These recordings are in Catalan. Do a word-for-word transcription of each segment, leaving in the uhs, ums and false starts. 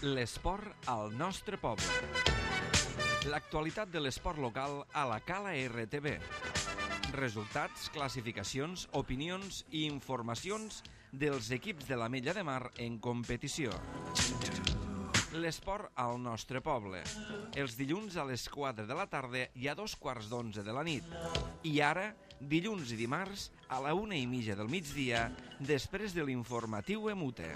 L'esport al nostre poble. L'actualitat de l'esport local a la Cala R T V. Resultats, classificacions, opinions i informacions dels equips de l'Ametlla de Mar en competició. L'esport al nostre poble. Els dilluns a les quatre de la tarda i a dos quarts d'onze de la nit. I ara, dilluns i dimarts, a la una i mitja del migdia, després de l'informatiu Emute.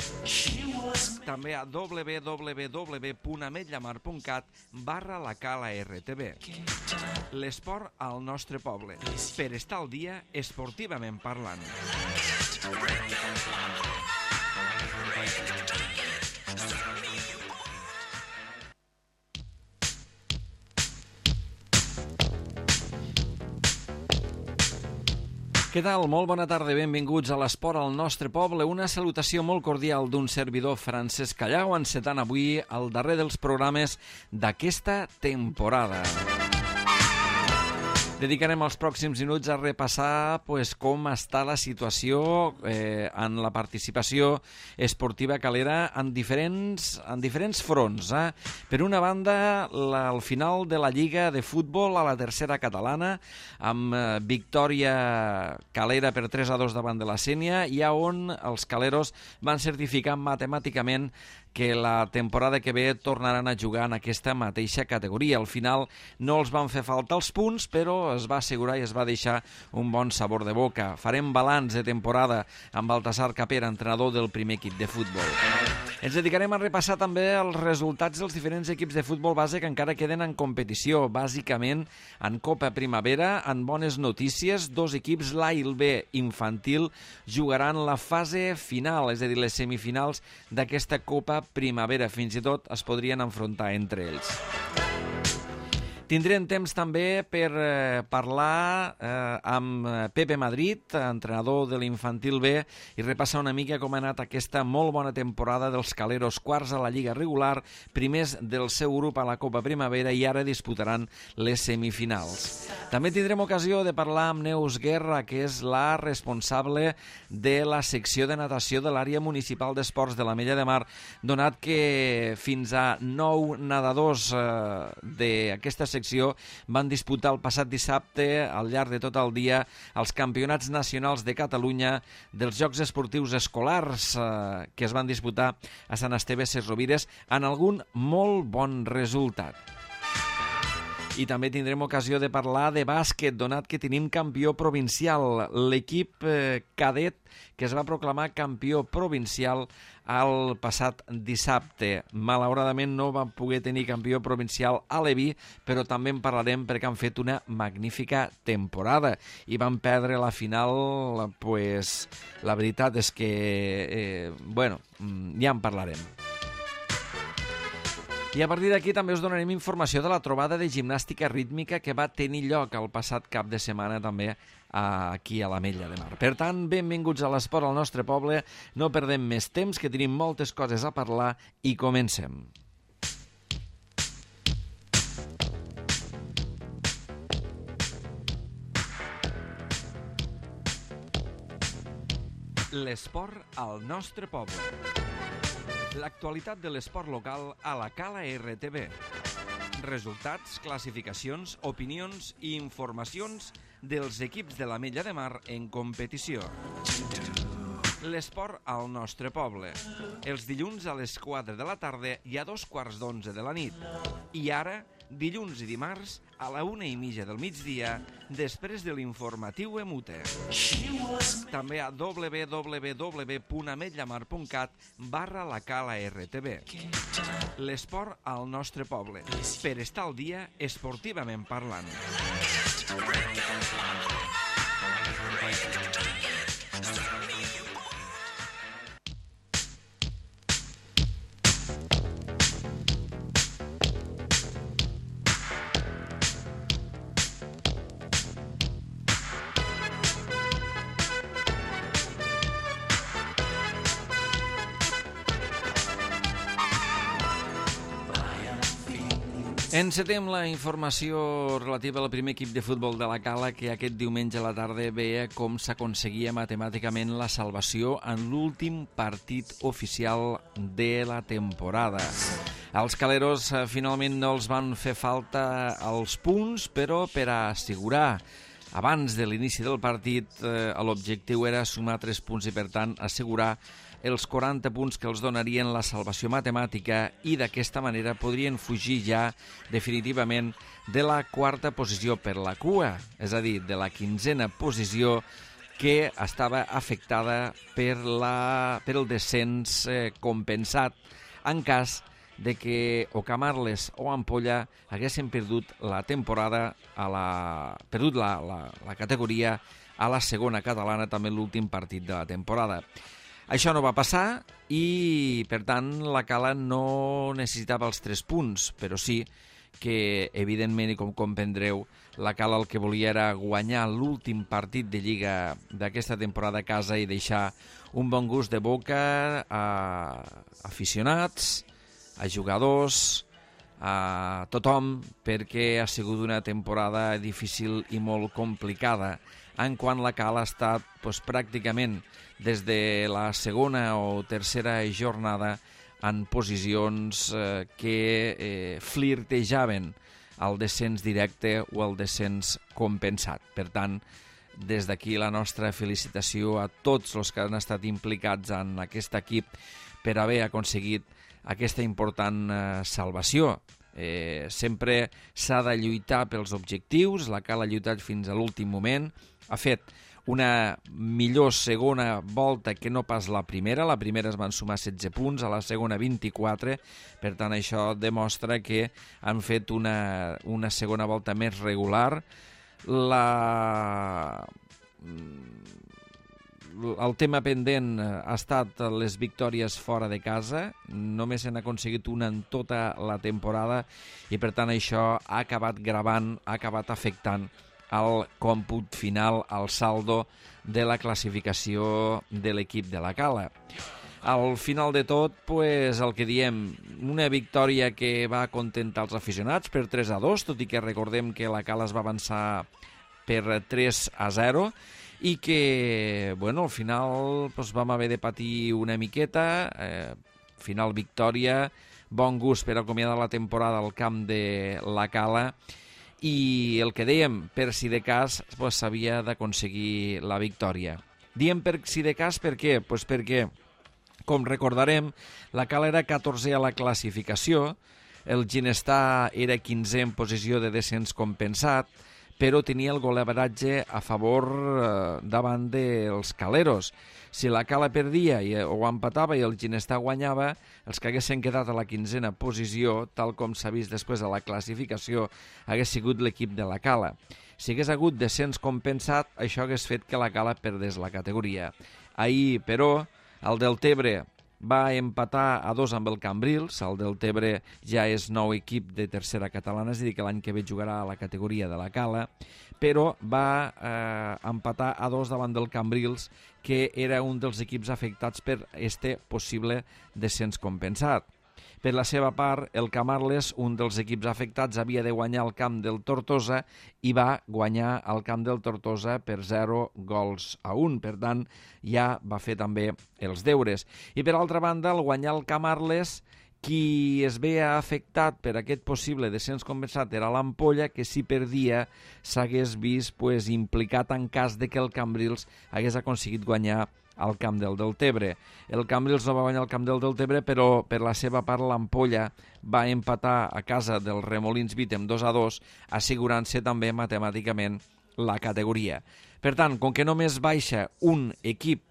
També a w w w punt ametllamar punt cat barra la Cala R T V. L'esport al nostre poble. Per estar al dia, esportivament parlant. Què tal? Molt bona tarda, benvinguts a l'Esport al nostre poble. Una salutació molt cordial d'un servidor, Francesc Callau, encetant avui el darrer dels programes d'aquesta temporada. Dedicarem els pròxims minuts a repassar pues, com està la situació eh, en la participació esportiva calera en diferents, en diferents fronts. Eh? Per una banda, la, el final de la Lliga de Futbol a la tercera catalana, amb eh, victòria calera per tres a dos davant de la Sénia, i on els caleros van certificar matemàticament que la temporada que ve tornaran a jugar en aquesta mateixa categoria. Al final no els van fer falta els punts, però es va assegurar i es va deixar un bon sabor de boca. Farem balanç de temporada amb Baltasar Capera, entrenador del primer equip de futbol. Ens dedicarem a repassar també els resultats dels diferents equips de futbol base que encara queden en competició, bàsicament en Copa Primavera, en bones notícies. Dos equips, l'A i el B infantil, jugaran la fase final, és a dir, les semifinals d'aquesta Copa Primavera. Fins i tot es podrien enfrontar entre ells. Tindrem temps també per eh, parlar eh, amb Pepe Madrid, entrenador de l'infantil B, i repassar una mica com ha anat aquesta molt bona temporada dels caleros, quarts a la Lliga regular, primers del seu grup a la Copa Primavera i ara disputaran les semifinals. També tindrem ocasió de parlar amb Neus Guerra, que és la responsable de la secció de natació de l'àrea municipal d'esports de l'Ametlla de Mar, donat que fins a nou nedadors eh, d'aquesta secció van disputar el passat dissabte al llarg de tot el dia els campionats nacionals de Catalunya dels Jocs Esportius Escolars eh, que es van disputar a Sant Esteve Sesrovires en algun molt bon resultat. I també tindrem ocasió de parlar de bàsquet, donat que tenim campió provincial. L'equip eh, cadet que es va proclamar campió provincial el passat dissabte. Malauradament no van poder tenir campió provincial a Leví, però també en parlarem perquè han fet una magnífica temporada i van perdre la final. Pues, la veritat és que, eh, bueno, ja en parlarem. I a partir d'aquí també us donarem informació de la trobada de gimnàstica rítmica que va tenir lloc el passat cap de setmana també aquí a l'Ametlla de Mar. Per tant, benvinguts a l'esport al nostre poble. No perdem més temps, que tenim moltes coses a parlar i comencem. L'esport al nostre poble. L'actualitat de l'esport local a la Cala R T V. Resultats, classificacions, opinions i informacions dels equips de l'Ametlla de Mar en competició. L'esport al nostre poble. Els dilluns a les quatre de la tarda i a dos quarts d'onze de la nit. I ara, dilluns i dimarts, a la una i mitja del migdia, després de l'informatiu Emute. També a w w w punt ametllamar punt cat barra la Cala R T V. L'esport al nostre poble. Per estar al dia, esportivament parlant. Encetem la informació relativa al primer equip de futbol de la Cala, que aquest diumenge a la tarda veia com s'aconseguia matemàticament la salvació en l'últim partit oficial de la temporada. Els caleros eh, finalment no els van fer falta els punts, però per a assegurar abans de l'inici del partit eh, l'objectiu era sumar tres punts i per tant assegurar els quaranta punts que els donarien la salvació matemàtica i d'aquesta manera podrien fugir ja definitivament de la quarta posició per la cua, és a dir, de la quinzena posició que estava afectada per, la, per el descens eh, compensat en cas de que o Camarles o Ampolla haguessin perdut la temporada, a la, perdut la, la, la categoria a la segona catalana, també l'últim partit de la temporada. Això no va passar i, per tant, la Cala no necessitava els tres punts, però sí que, evidentment, i com comprendreu, la Cala el que volia era guanyar l'últim partit de Lliga d'aquesta temporada a casa i deixar un bon gust de boca a aficionats, a jugadors, a tothom, perquè ha sigut una temporada difícil i molt complicada, en quan la Cala ha estat doncs, pràcticament des de la segona o tercera jornada en posicions eh, que eh, flirtejaven el descens directe o el descens compensat. Per tant, des d'aquí la nostra felicitació a tots els que han estat implicats en aquest equip per haver aconseguit aquesta important eh, salvació. Eh, sempre s'ha de lluitar pels objectius, la Cala ha lluitat fins a l'últim moment, ha fet una millor segona volta que no pas la primera. La primera es van sumar setze punts, a la segona vint-i-quatre, per tant això demostra que han fet una, una segona volta més regular. La... El tema pendent ha estat les victòries fora de casa, només s'han aconseguit una en tota la temporada i per tant això ha acabat gravant, ha acabat afectant el còmput final, al saldo de la classificació de l'equip de la Cala. Al final de tot, pues, el que diem, una victòria que va acontentar els aficionats per tres a dos, tot i que recordem que la Cala es va avançar per tres a zero i que, bueno, al final pues, vam haver de patir una miqueta, eh, final victòria, bon gust per acomiadar la temporada al camp de la Cala. I el que dèiem, per si de cas, pues, s'havia d'aconseguir la victòria. Diem per si de cas per què? Pues perquè, com recordarem, la Cala era catorzè a la classificació, el Ginestar era quinzè en posició de descens compensat, però tenia el goleadratge a favor eh, davant dels caleros. Si la Cala perdia i, o empatava i el Ginestar guanyava, els que haguessin quedat a la quinzena posició, tal com s'ha vist després a la classificació, hagués sigut l'equip de la Cala. Si hagués hagut descens compensat, això hagués fet que la Cala perdés la categoria. Ahir, però, el Deltebre va empatar a dos amb el Cambrils. El Deltebre ja és nou equip de tercera catalana, és a dir, que l'any que ve jugarà a la categoria de la Cala, però va eh, empatar a dos davant del Cambrils, que era un dels equips afectats per este possible descens compensat. Per la seva part, el Camarles, un dels equips afectats, havia de guanyar al camp del Tortosa i va guanyar al camp del Tortosa per zero gols a un. Per tant, ja va fer també els deures. I per altra banda, al guanyar el Camarles, qui es veia afectat per aquest possible descens compensat era l'Ampolla, que si perdia s'hagués vist pues, implicat en cas de que el Cambrils hagués aconseguit guanyar al camp del Deltebre. El Cambrils no va guanyar al camp del Deltebre, però per la seva part l'Ampolla va empatar a casa del Remolins Vítem dos a dos, assegurant-se també matemàticament la categoria. Per tant, com que només baixa un equip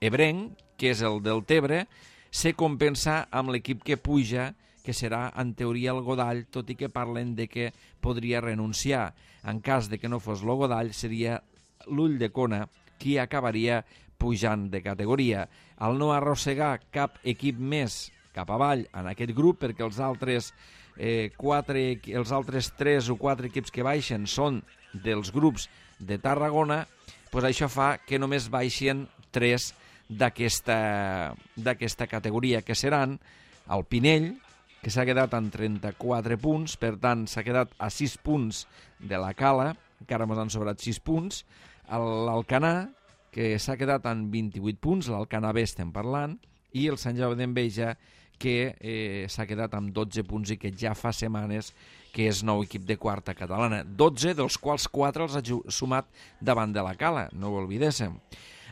ebrenc, que és el Deltebre, se compensa amb l'equip que puja, que serà en teoria el Godall, tot i que parlen de que podria renunciar. En cas de que no fos el Godall, seria l'Ulldecona qui acabaria pujant de categoria. Al no arrossegar cap equip més cap avall en aquest grup, perquè els altres, eh, quatre, els altres tres o quatre equips que baixen són dels grups de Tarragona, doncs això fa que només baixin tres d'aquesta d'aquesta categoria, que seran el Pinell, que s'ha quedat amb trenta-quatre punts, per tant, s'ha quedat a sis punts de la Cala, encara ens han sobrat sis punts. L'Alcanar, que s'ha quedat amb vint-i-vuit punts, l'Alcanar B estem parlant, i el Sant Jaume d'Enveja, que eh, s'ha quedat amb dotze punts i que ja fa setmanes que és nou equip de quarta catalana. dotze, dels quals quatre els ha sumat davant de la Cala, no ho oblidéssim.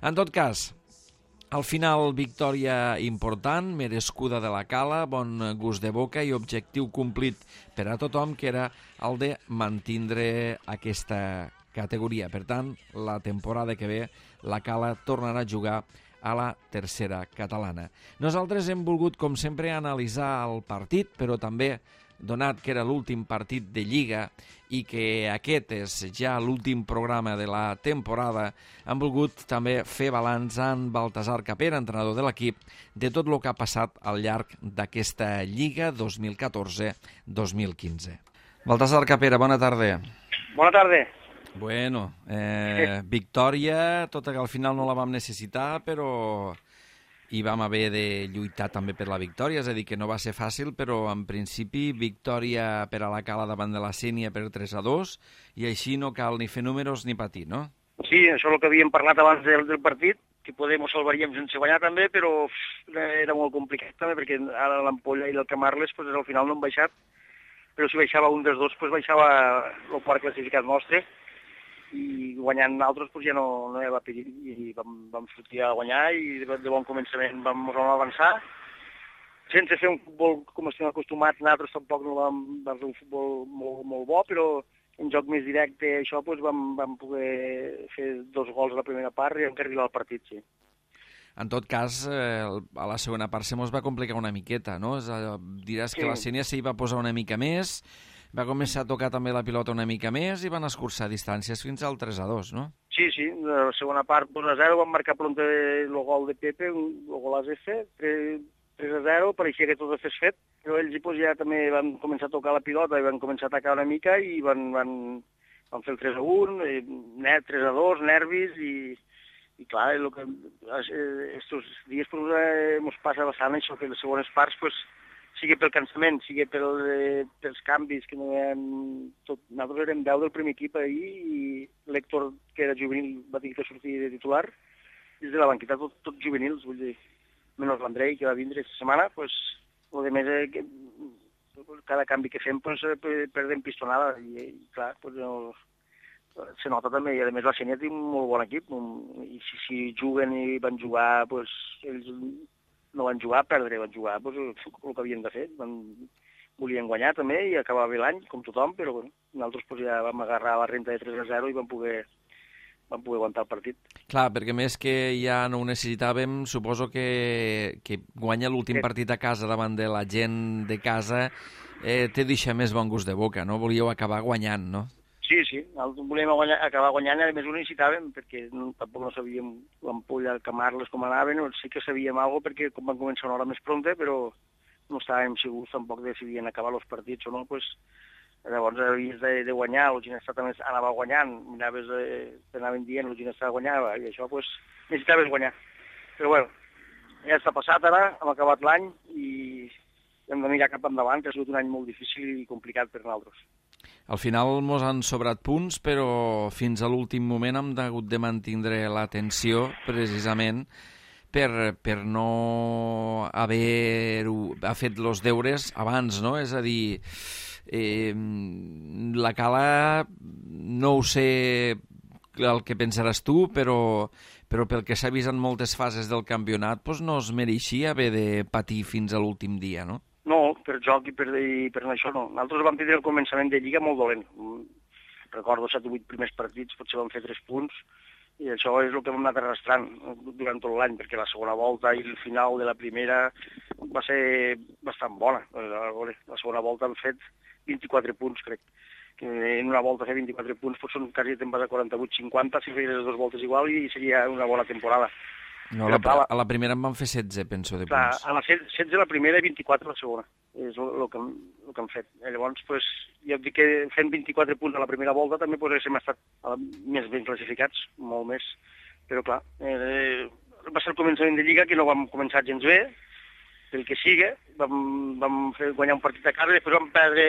En tot cas, al final, victòria important, merescuda de la Cala, bon gust de boca i objectiu complit per a tothom, que era el de mantindre aquesta categoria. Per tant, la temporada que ve, la Cala tornarà a jugar a la tercera catalana. Nosaltres hem volgut, com sempre, analitzar el partit, però també, donat que era l'últim partit de Lliga i que aquest és ja l'últim programa de la temporada, hem volgut també fer balanç amb Baltasar Capera, entrenador de l'equip, de tot el que ha passat al llarg d'aquesta Lliga dos mil catorze dos mil quinze. Baltasar Capera, bona tarda. Bona tarda. Bueno, eh, victòria, tot i que al final no la vam necessitar, però i vam haver de lluitar també per la victòria, és a dir, que no va ser fàcil, però en principi victòria per a la Cala davant de la Sénia per tres a dos, i així no cal ni fer números ni patir, no? Sí, això és el que havíem parlat abans del, del partit, que podem ho salvaríem sense guanyar també, però era molt complicat també, perquè ara l'Ampolla i el Camarles pues, al final no han baixat, però si baixava un dels dos, pues, baixava el quart classificat nostre, i guanyant altres pues, ja no, no hi va pedir, i vam, vam sortir a guanyar i de, de bon començament vam, vam avançar sense fer un futbol com estem acostumats. Nosaltres tampoc no vam, vam fer un futbol molt, molt bo, però en joc més directe això pues, vam, vam poder fer dos gols a la primera part i encarrilar el partit, sí. En tot cas, eh, a la segona part se mos va complicar una miqueta, no? Diràs sí. Que la Sénia s'hi va posar una mica més, va començar a tocar també la pilota una mica més i van escurçar distàncies fins al tres a dos, no? Sí, sí, la segona part dos a zero, van marcar pronte el gol de Pepe, el gol a F, tres a zero, pareixia que tot es fet, però ells pues, ja també van començar a tocar la pilota i van començar a atacar una mica i van, van, van fer el tres a un, tres a dos, nervis i... I clar, el que estos dies pues, eh, mos passa bastant això, que les segones parts, pues, sigui pel cansament, sigui pel, eh, pels canvis, que no hem... Tot, nosaltres érem deu del primer equip ahir i l'Héctor, que era juvenil, va tenir que sortir de titular, des de la banqueta tot, tot juvenils, vull dir, menys l'Andrei, que va vindre aquesta setmana, pues, o de més, eh, que, cada canvi que fem, pues, eh, perdem pistonada, i, i clar, pues, no... se nota també, i a més la Sénia té un molt bon equip, i si, si juguen i van jugar, doncs ells no van jugar a perdre, van jugar doncs, el que havien de fer, van, volien guanyar també i acabar bé l'any, com tothom, però bueno, nosaltres doncs, ja vam agarrar la renta de tres a zero i vam poder, vam poder aguantar el partit. Clar, perquè més que ja no ho necessitàvem, suposo que, que guanyar l'últim sí. partit a casa davant de la gent de casa eh, té deixar més bon gust de boca, no? Volíeu acabar guanyant, no? Sí, sí, nosaltres volíem guanyar, acabar guanyant, a més ho necessitàvem, perquè no, tampoc no sabíem l'Ampolla, el Camarles, com anaven, sí que sabíem alguna cosa, perquè com van començar una hora més pronta, però no estàvem segurs tampoc de si havien acabat els partits o no, pues, llavors havies de, de guanyar, el Ginestà també anava guanyant, miraves, eh, t'anaven dient, el Ginestà guanyava, i això, pues, necessitaves guanyar. Però bueno, ja està passat ara, hem acabat l'any i hem de mirar cap endavant, que ha sigut un any molt difícil i complicat per nosaltres. Al final mos han sobrat punts, però fins a l'últim moment hem hagut de mantindre l'atenció, precisament, per, per no haver ha fet els deures abans, no? És a dir, eh, la Cala, no ho sé el que pensaràs tu, però, però pel que s'ha vist en moltes fases del campionat, doncs no es mereixia haver de patir fins a l'últim dia, no? No, per joc i per, i per això no. Nosaltres vam tindre el començament de Lliga molt dolent. Recordo set o vuit primers partits, potser vam fer tres punts, i això és el que hem anat arrastrant durant tot l'any, perquè la segona volta i el final de la primera va ser bastant bona. La segona volta han fet vint-i-quatre punts, crec. Que en una volta fer vint-i-quatre punts doncs són quasi te'n vas a quaranta-vuit cinquanta, si feies les dues voltes igual, i seria una bona temporada. No, la, a la primera en van fer setze, penso, de clar, punts. A la setze la primera i vint-i-quatre la segona. És el, el, que, el que han fet. Llavors, pues, jo dic que fent vint-i-quatre punts a la primera volta també pues, hem estat més ben classificats, molt més. Però clar, eh, va ser el començament de Lliga que no vam començar gens bé pel que siga, vam, vam fer guanyar un partit a casa, després vam perdre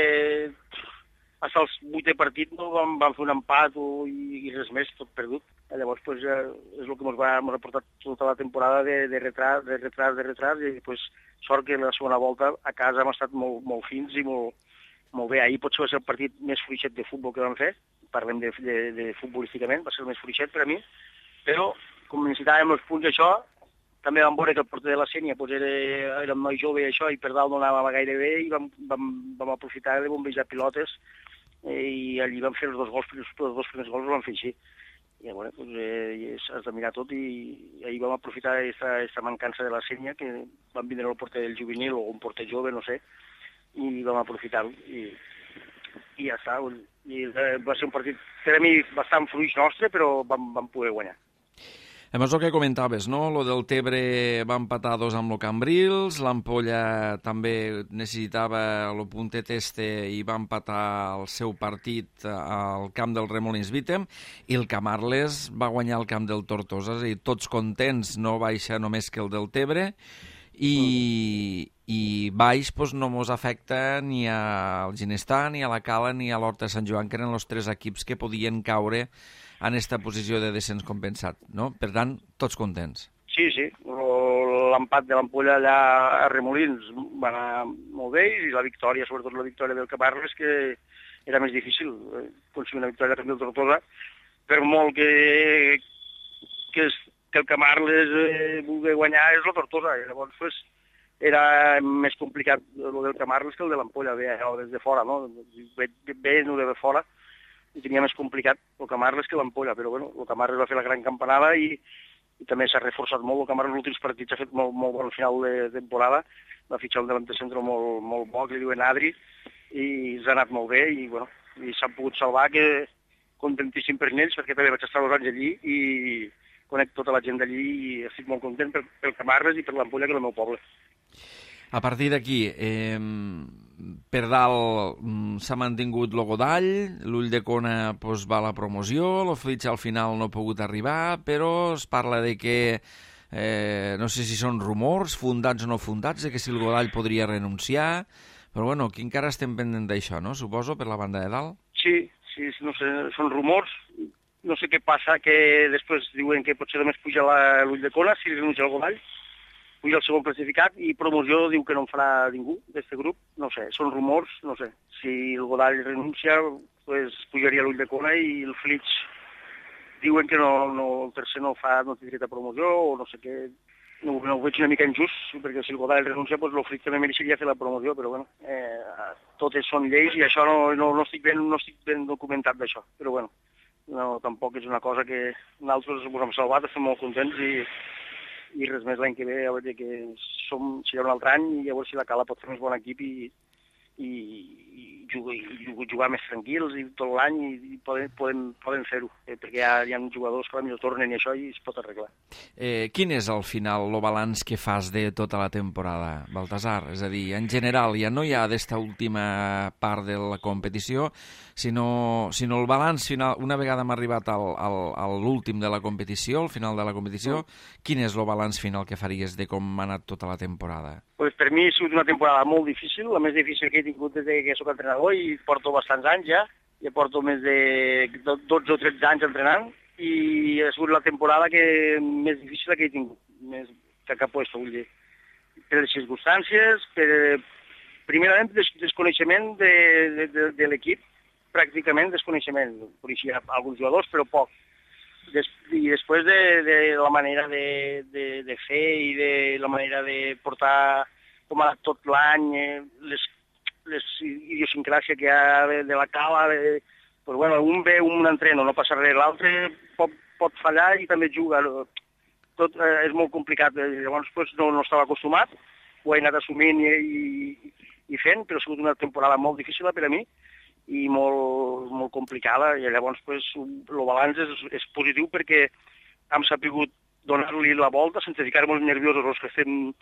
fins als vuitè partit, no? vam, vam fer un empat o, i, i res més, tot perdut. Llavors pues, ja és el que ens va, ha portat tota la temporada de, de retras, de retras, de retras, i pues, sort que la segona volta a casa hem estat molt, molt fins i molt, molt bé. Ahir potser va ser el partit més fluixet de futbol que vam fer, parlem de, de, de futbolísticament, va ser el més fluixet per a mi, però com necessitàvem els punts això, també vam veure que el porter de la Sénia pues, era, era un noi jove i això, i per dalt no anava gaire bé, i vam, vam, vam aprofitar de bombejar pilotes, eh, i allí vam fer els dos gols, els dos primers gols els vam fer així. I bueno, pues, eh, has de mirar tot, i ahir vam aprofitar aquesta mancança de la Sénia, que van vindre el porter del juvenil o un porter jove, no sé, i vam aprofitar-ho, i, i ja està. I va ser un partit, per a mi, bastant fluix nostre, però vam, vam poder guanyar. A més, el que comentaves, no? Lo del Tebre va empatar dos amb el Cambrils, l'Ampolla també necessitava el puntet este i va empatar el seu partit al camp del Remolins Vítem, i el Camarles va guanyar el camp del Tortosa, és a dir, tots contents, no baixa només que el del Tebre, i, i baix doncs, no mos afecta ni al Ginestà, ni a la Cala, ni a l'Horta de Sant Joan, que eren els tres equips que podien caure en aquesta posició de descens compensat, no? Per tant, tots contents. Sí, sí. L'empat de l'Ampolla allà a Remolins va anar molt bé, i la victòria, sobretot la victòria del Camarles, que era més difícil aconseguir una victòria del Tortosa, per molt que, que, que el Camarles eh, vulgui guanyar és la Tortosa. I llavors pues, era més complicat el del Camarles que el de l'Ampolla, bé, des de fora, no? Bé, bé no de fora, i tenia més complicat el Camarles que l'Ampolla, però bueno, el Camarles va fer la gran campanada i, i també s'ha reforçat molt. El Camarles en els últims partits ha fet molt, molt bon final de temporada, va fitxar un davanter centre molt, molt bo, que li diuen Adri, i s'ha anat molt bé, i bueno, i s'han pogut salvar, que contentíssim per ells, perquè també vaig estar dos anys allí i conec tota la gent d'allí i estic molt content pel, pel Camarles i per l'Ampolla, que és el meu poble. A partir d'aquí, eh, per dalt s'ha mantingut el Godall, l'Ulldecona pues, va a la promoció, el Flitx al final no ha pogut arribar, però es parla de que, eh, no sé si són rumors, fundats o no fundats, de que si el Godall podria renunciar, però bueno, aquí encara estem pendent d'això, no? Suposo, per la banda de dalt? Sí, sí, no sé, són rumors, no sé què passa, que després diuen que potser només puja l'Ulldecona si renuncia el Godall, puja el segon classificat, i promoció diu que no en farà ningú d'aquest grup, no sé, són rumors, no sé. Si el Godall renuncia, pues pujaria l'Ulldecona, i el Flitx diuen que no, no, el tercer no fa, no té dret a promoció, o no sé què, no, no ho veig una mica injust, perquè si el Godall renuncia, pues el Flitx també mereixeria fer la promoció, però bueno, eh, totes són lleis, i això no, no, no, estic, ben, no estic ben documentat d'això, però bueno, no, tampoc és una cosa que nosaltres ens hem salvat, estem molt contents, i i res més l'any que ve, a veure que som, serà un altre any, i a veure si la Cala pot fer més bon equip i, i, i, jugar, i jugar més tranquils i tot l'any, i, i poden, poden, poden fer-ho, eh, perquè hi ha, hi ha jutgadors que potser tornen i això, i es pot arreglar. Eh, quin és al final el balanç que fas de tota la temporada, Baltasar? És a dir, en general, ja no hi ha d'esta última part de la competició, sinó, sinó el balanç final, una vegada hem arribat al, al, a l'últim de la competició, al final de la competició, mm. quin és el balanç final que faries de com ha anat tota la temporada? Pues per mi ha sigut una temporada molt difícil, la més difícil que he tingut des que soc entrenador, i porto bastants anys ja, ja porto més de dotze o tretze anys entrenant, i ha sigut la temporada que més difícil que he tingut, més que cap puesto, vull dir. Per les circumstàncies, per, primerament des, desconeixement de, de, de, de l'equip, pràcticament desconeixement. Coneixia alguns jugadors, però poc. Des, I després de, de la manera de, de, de fer i de la manera de portar com ha tot l'any, eh, les, les idiosincràcies que hi ha de, de la Cala, de, pues, bueno, un ve, un entreno, no passa res, l'altre pot, pot fallar i també juga. Tot eh, és molt complicat, llavors pues, no, no estava acostumat, ho he anat assumint i, i, i fent, però ha sigut una temporada molt difícil per a mi, i molt, molt complicada, i llavors pues, el balanç és, és positiu perquè hem sabut donar-li la volta sense ficar-nos nerviosos els que estem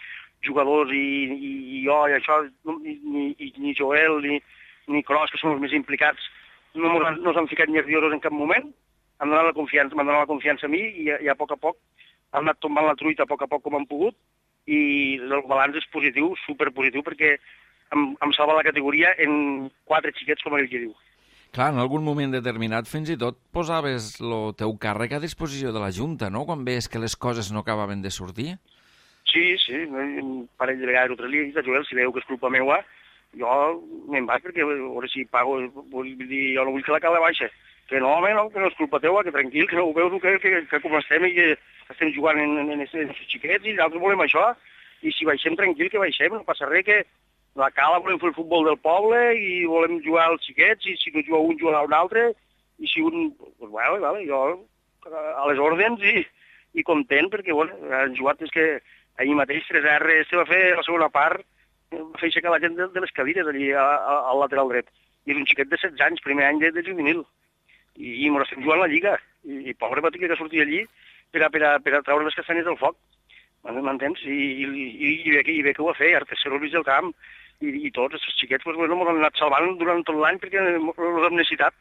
jugadors i, i, i jo i això, ni, ni, ni Joel ni, ni Cros, que són els més implicats, no ens no hem ficat nerviosos en cap moment, hem donat la confiança, m'han donat la confiança a mi, i, i a poc a poc hem anat tombant la truita a poc a poc com hem pogut, i el balanç és positiu, superpositiu, perquè em, em salva la categoria en quatre xiquets, com ell que diu. Clar, en algun moment determinat fins i tot posaves el teu càrrec a disposició de la Junta, no?, quan veies que les coses no acabaven de sortir. Sí, sí, un parell de vegades altres li he dit a Joel, si veu que és culpa meua, jo me'n vaig perquè a veure si pago, vull dir, jo no vull que la cala baixa. Que no, home, no, que no és culpa teua, que tranquil, que no ho veus, que, que, que com estem i que estem jugant en, en, en aquests xiquets i nosaltres volem això, i si baixem tranquil que baixem, no passa res, que la cala volem fer el futbol del poble i volem jugar als xiquets, i si no juga un, jugarà un altre, i si un... Pues, bueno, vale, jo a les ordens i, i content, perquè, bueno, han jugat, és que ahir mateix tres erre se va fer la segona part, va fer aixecar la gent de, de les cadires allí a, a, al lateral dret. I és un xiquet de setze anys, primer any de, de juvenil. I, i mos estem jugant la Lliga. I, i pobre va tenir que sortir allí per a, per a, per a treure les castanyes del foc. M'entens? I, i, i, i, bé, i bé que ho va fer, Artesero al mig del camp, i, i tots els xiquets pues, bueno, m'han anat salvant durant tot l'any perquè els hem necessitat.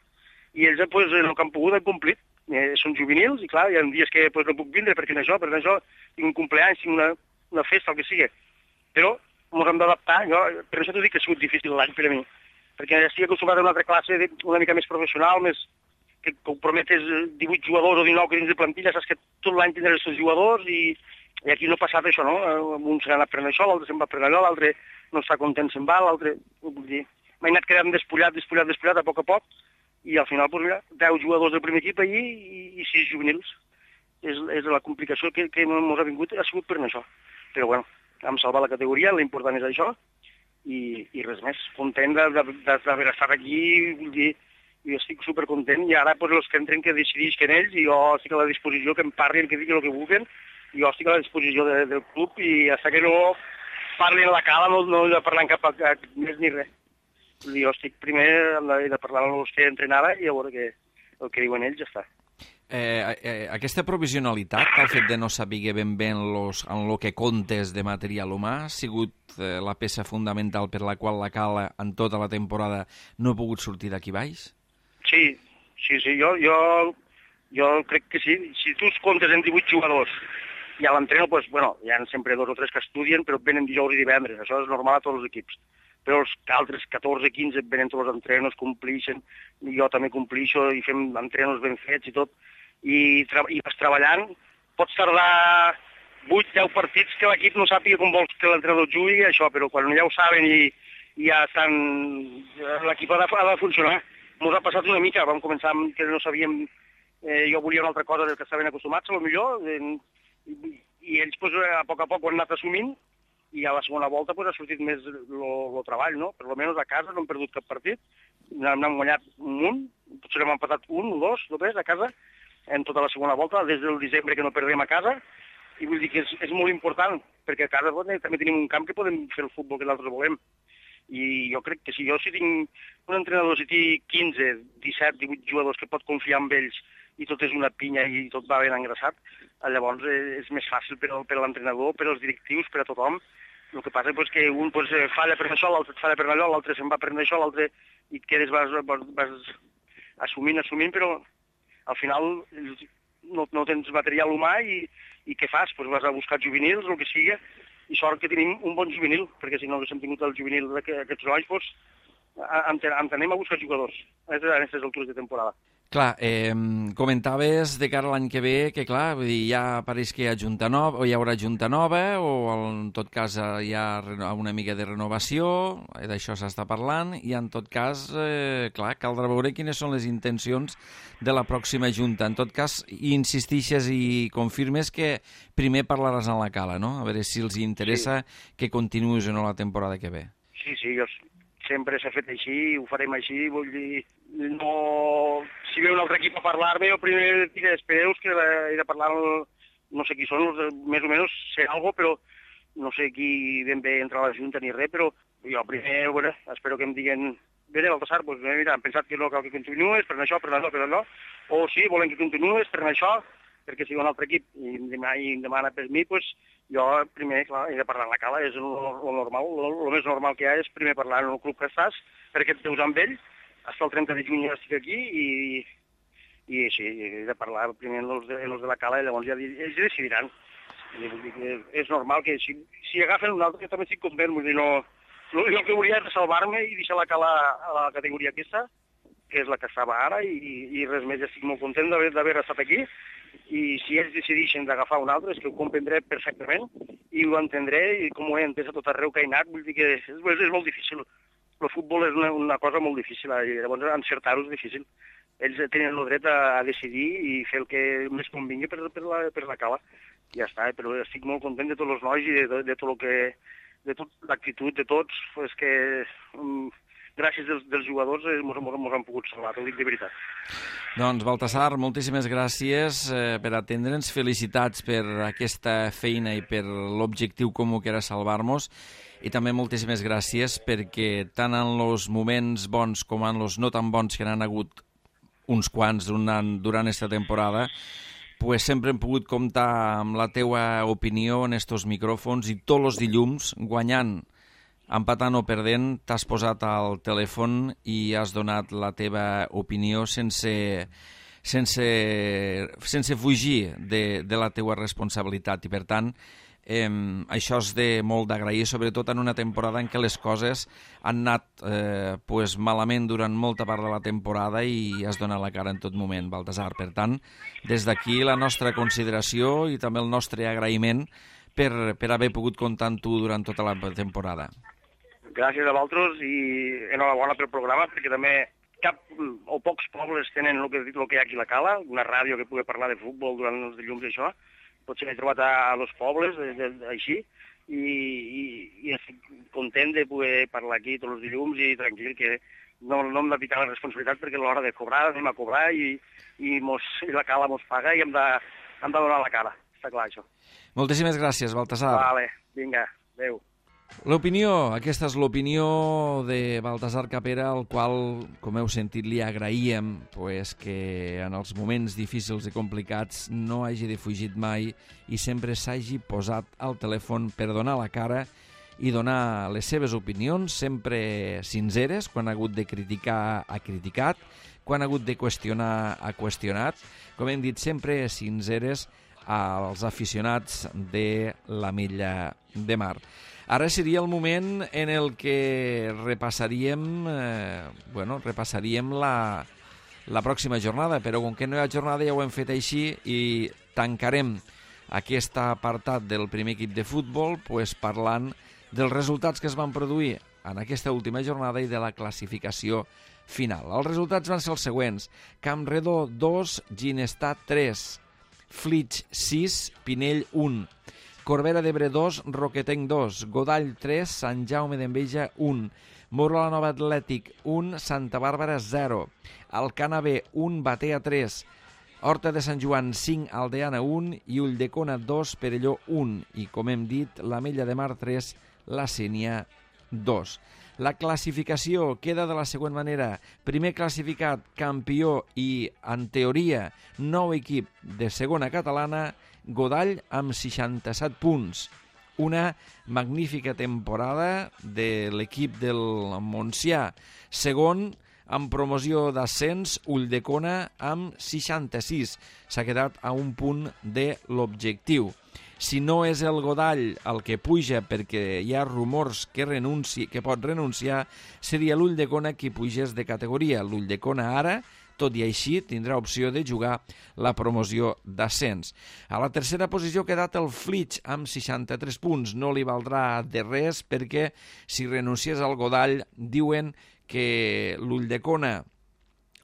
I ells pues, el que han pogut han complit. Eh, són juvenils i clar, hi ha dies que pues, no puc vindre perquè en això, perquè en això tinc un compleany, tinc una, una festa, el que sigui. Però ens hem d'adaptar. Jo, per això t'ho dic que ha sigut difícil l'any per a mi, perquè estic acostumat a una altra classe de, una mica més professional, més que comprometes divuit jugadors o dinou que dins de plantilla, saps que tot l'any tindràs els seus jugadors i, i aquí no ha passat això, no? Un s'ha anat prenent això, l'altre se'n va prenent allò, l'altre no està content, se'n va, l'altre... Vull dir, m'he anat quedant despullat, despullat, despullat, a poc a poc, i al final, pues, mira, deu jugadors del primer equip allí i, i sis juvenils. És, és la complicació que, que ens ha vingut, ha sigut per això. Però bueno, hem salvat la categoria, l'important és això, i, i res més. Content d'haver estat aquí, vull dir, jo estic supercontent, i ara pues, els que entren que decidisquen ells, i jo estic a la disposició, que em parlin, que diguin el que vulguin, i jo estic a la disposició de, del club, i fins que no parlin a la cala no, no he de parlar en cap a, a, més ni res. Jo estic primer he de parlar amb els que entren ara i a veure que, el que diuen ells ja està. Eh, eh, aquesta provisionalitat, el fet de no saber ben bé en, los, en lo que comptes de material humà, ha sigut eh, la peça fundamental per la qual la cala en tota la temporada no ha pogut sortir d'aquí baix? Sí, sí, sí, jo, jo, jo crec que sí. Si tu comptes en divuit jugadors i a l'entreno, pues, bueno, hi ha sempre dos o tres que estudien, però venen dijous i divendres, això és normal a tots els equips. Però els altres catorze quinze venen tots els entrenos, complixen, i jo també complixo, i fem entrenos ben fets i tot, i, i vas treballant. Pots tardar vuit deu partits que l'equip no sàpiga com vols que l'entrenador jugui, això, però quan ja ho saben i, i ja estan... l'equip ha, ha de funcionar. Ens ha passat una mica, vam començar amb que no sabíem... Eh, jo volia una altra cosa del que estaven acostumats, a lo millor, eh, i, i ells pues, a poc a poc ho han anat assumint, i a la segona volta pues, ha sortit més el treball, no? Per almenys a casa no hem perdut cap partit, n'hem guanyat un munt, potser hem empatat un o dos, només, a casa, en tota la segona volta, des del desembre que no perdem a casa, i vull dir que és, és molt important, perquè a casa doncs, també tenim un camp que podem fer el futbol que nosaltres volem. I jo crec que si jo si tinc un entrenador, si tinc quinze, disset, divuit jugadors que pot confiar en ells i tot és una pinya i tot va ben engraçat, llavors és més fàcil per, per l'entrenador, per als directius, per a tothom. El que passa és que un pues, falla per això, l'altre falla per allò, l'altre se'n va per això, l'altre i et quedes, vas, vas, vas assumint, assumint, però al final no, no tens material humà i, i què fas? Pues vas a buscar juvenils, el que sigui, i sort que tenim un bon juvenil, perquè si no haguéssim tingut el juvenil d'aquests nois, pues, ens anem a buscar jugadors a aquestes altures de temporada. Clar, eh, comentaves de cara a l'any que ve que, clar, vull dir, ja pareix que hi ha junta nova, o hi haurà junta nova, o en tot cas hi ha una mica de renovació, d'això s'està parlant, i en tot cas, eh, clar, caldrà veure quines són les intencions de la pròxima junta. En tot cas, insistixes i confirmes que primer parlaràs en la cala, no? A veure si els interessa sí. que continuïs o no la temporada que ve. Sí, sí, jo sempre s'ha fet així, ho farem així, vull dir, no... Si ve un altre equip a parlar-me, jo primer dic, espereu que he de parlar, no sé qui són, més o menys sé algo, però no sé qui ben bé entra a la Junta ni res, però jo primer, bueno, espero que em diguen, bé, Baltasar, doncs mira, hem pensat que no cal que continuïs, per això, per allò, per allò, o sí, volen que continuïs, per això, perquè si va un altre equip i em demana, i em demana per mi, doncs jo primer, clar, he de parlar en la cala, és el normal, el més normal que hi ha és primer parlar en el club que estàs, perquè et veus amb ell, fins al trenta de juny ja estic aquí i, i sí, he de parlar primer amb els de, els de la cala i llavors ja ells decidiran. I vull dir que és normal que si, si agafen un altre, jo també estic content, vull dir, no... Jo el que volia és salvar-me i deixar la cala a la categoria aquesta, que és la que estava ara, i, i res més, estic molt content d'haver estat aquí, i si ells decideixen d'agafar un altre, és que ho comprendré perfectament, i ho entendré, i com ho he entès a tot arreu que he anat, vull dir que és, és molt difícil. El futbol és una, una cosa molt difícil, i llavors encertar-ho és difícil. Ells tenen el dret a, a decidir i fer el que més convingui per, per, la, per la cala. Ja està, però estic molt content de tots els nois i de, de tot el que... de tota l'actitud de tots, és que um, gràcies dels, dels jugadors ens hem pogut salvar, t'ho dic de veritat. Doncs, Baltasar, moltíssimes gràcies eh, per atendre'ns, felicitats per aquesta feina i per l'objectiu comú que era salvar-nos, i també moltíssimes gràcies perquè tant en els moments bons com en els no tan bons que n'han hagut uns quants durant aquesta temporada, pues sempre hem pogut comptar amb la teua opinió en estos micròfons, i tots els dilluns, guanyant, empatant o perdent, t'has posat al telèfon i has donat la teva opinió sense, sense, sense fugir de, de la teua responsabilitat. I, per tant, eh, això és de molt d'agrair, sobretot en una temporada en què les coses han anat eh, pues, malament durant molta part de la temporada i has donat la cara en tot moment, Baltasar. Per tant, des d'aquí la nostra consideració i també el nostre agraïment per, per haver pogut comptar amb tu durant tota la temporada. Gràcies a vosaltres i enhorabona pel programa, perquè també cap o pocs pobles tenen el que, el que hi ha aquí a la Cala, una ràdio que pugui parlar de futbol durant els dilluns i això. Potser he trobat a, a los pobles, de, de, així, i, i, i estic content de poder parlar aquí tots els dilluns i tranquil, que no, no hem de picar la responsabilitat perquè a l'hora de cobrar anem a cobrar i, i, mos, i la cala mos paga i hem de, hem de donar la cara, està clar això. Moltíssimes gràcies, Baltasar. Vale, vinga, adéu. L'opinió, aquesta és l'opinió de Baltasar Capera, al qual, com heu sentit, li agraïem pues, que en els moments difícils i complicats no hagi defugit mai i sempre s'hagi posat al telèfon per donar la cara i donar les seves opinions, sempre sinceres. Quan ha hagut de criticar, ha criticat, quan ha hagut de qüestionar, ha qüestionat, com hem dit, sempre sinceres als aficionats de l'Ametlla de Mar. Ara seria el moment en el que repassaríem, eh, bueno, repassaríem la, la pròxima jornada, però com que no hi ha jornada ja ho hem fet així i tancarem aquest apartat del primer equip de futbol pues, parlant dels resultats que es van produir en aquesta última jornada i de la classificació final. Els resultats van ser els següents: Campredó dos, Ginestar tres, Flix sis, Pinell un, Corbera d'Ebre dos, Roquetenc dos, Godall tres, Sant Jaume d'Enveja un, Muro la Nova Atlètic un, Santa Bàrbara zero, Alcana B un, Batea tres, Horta de Sant Joan cinc, Aldeana un i Ulldecona dos, Perelló un, i com hem dit, l'Ametlla de Mar tres, la Sénia dos. La classificació queda de la següent manera: primer classificat, campió i, en teoria, nou equip de segona catalana, Godall amb seixanta-set punts. Una magnífica temporada de l'equip del Montsià. Segon, amb promoció d'ascens, Ulldecona amb seixanta-sis. S'ha quedat a un punt de l'objectiu. Si no és el Godall el que puja perquè hi ha rumors que, renunci, que pot renunciar, seria l'Ulldecona qui pugés de categoria. L'Ulldecona ara, tot i així, tindrà opció de jugar la promoció d'ascens. A la tercera posició ha quedat el Flix amb seixanta-tres punts. No li valdrà de res perquè si renunciés al Godall diuen que l'Ulldecona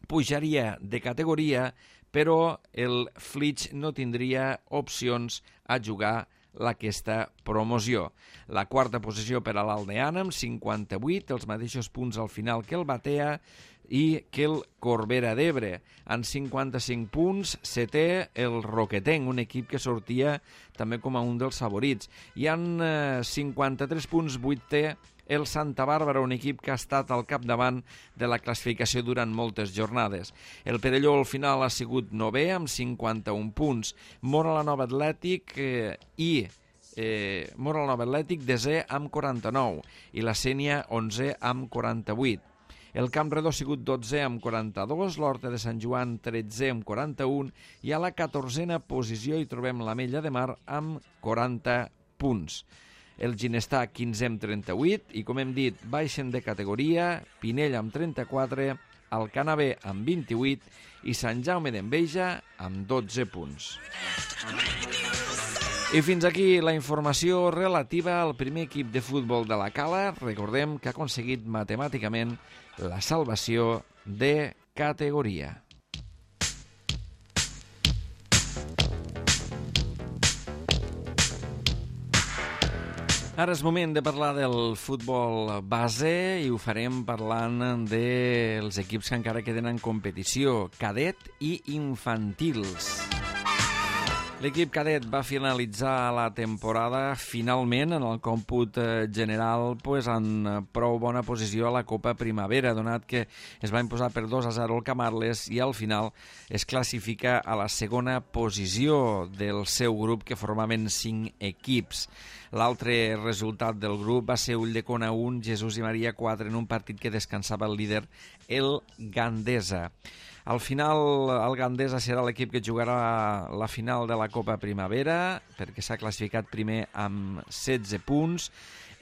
pujaria de categoria, però el Flix no tindria opcions a jugar aquesta promoció. La quarta posició per a l'Aldeana amb cinquanta-vuit, els mateixos punts al final que el Batea i que el Corbera d'Ebre. En cinquanta-cinc punts, setè el Roquetenc, un equip que sortia també com a un dels favorits. I en eh, cinquanta-tres punts, vuitè el Santa Bàrbara, un equip que ha estat al capdavant de la classificació durant moltes jornades. El Perelló al final ha sigut novè amb cinquanta-un punts. Mora la Nova Atlètic eh, i eh, Mora la Nova Atlètic desè amb quaranta-nou i la Sénia onzè amb quaranta-vuit. El Camp Redó ha sigut dotzè amb quaranta-dos, l'Horta de Sant Joan tretzè amb quaranta-un i a la catorzena posició hi trobem l'Ametlla de Mar amb quaranta punts. El Ginestar quinzè amb trenta-vuit i, com hem dit, baixen de categoria Pinell amb trenta-quatre, Alcanar B amb vint-i-vuit i Sant Jaume d'Enveja amb dotze punts. I fins aquí la informació relativa al primer equip de futbol de la Cala. Recordem que ha aconseguit matemàticament la salvació de categoria. Ara és moment de parlar del futbol base i ho farem parlant dels equips que encara queden en competició, cadet i infantils. L'equip cadet va finalitzar la temporada finalment en el còmput general pues, en prou bona posició a la Copa Primavera, donat que es va imposar per dos a zero el Camarles i al final es classifica a la segona posició del seu grup, que formaven cinc equips. L'altre resultat del grup va ser Ulldecona un, Jesús i Maria quatre, en un partit que descansava el líder, el Gandesa. Al final, el Gandesa serà l'equip que jugarà la final de la Copa Primavera, perquè s'ha classificat primer amb setze punts,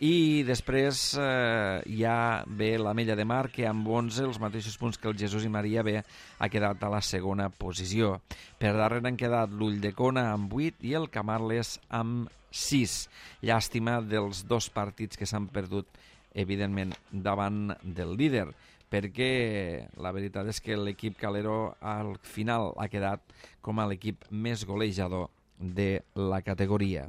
i després eh, hi ha bé l'Ametlla de Mar, que amb onze, els mateixos punts que el Jesús i Maria B, ha quedat a la segona posició. Per darrere han quedat l'Ulldecona amb vuit i el Camarles amb sis. Llàstima dels dos partits que s'han perdut, evidentment, davant del líder, perquè la veritat és que l'equip calero al final ha quedat com a l'equip més golejador de la categoria.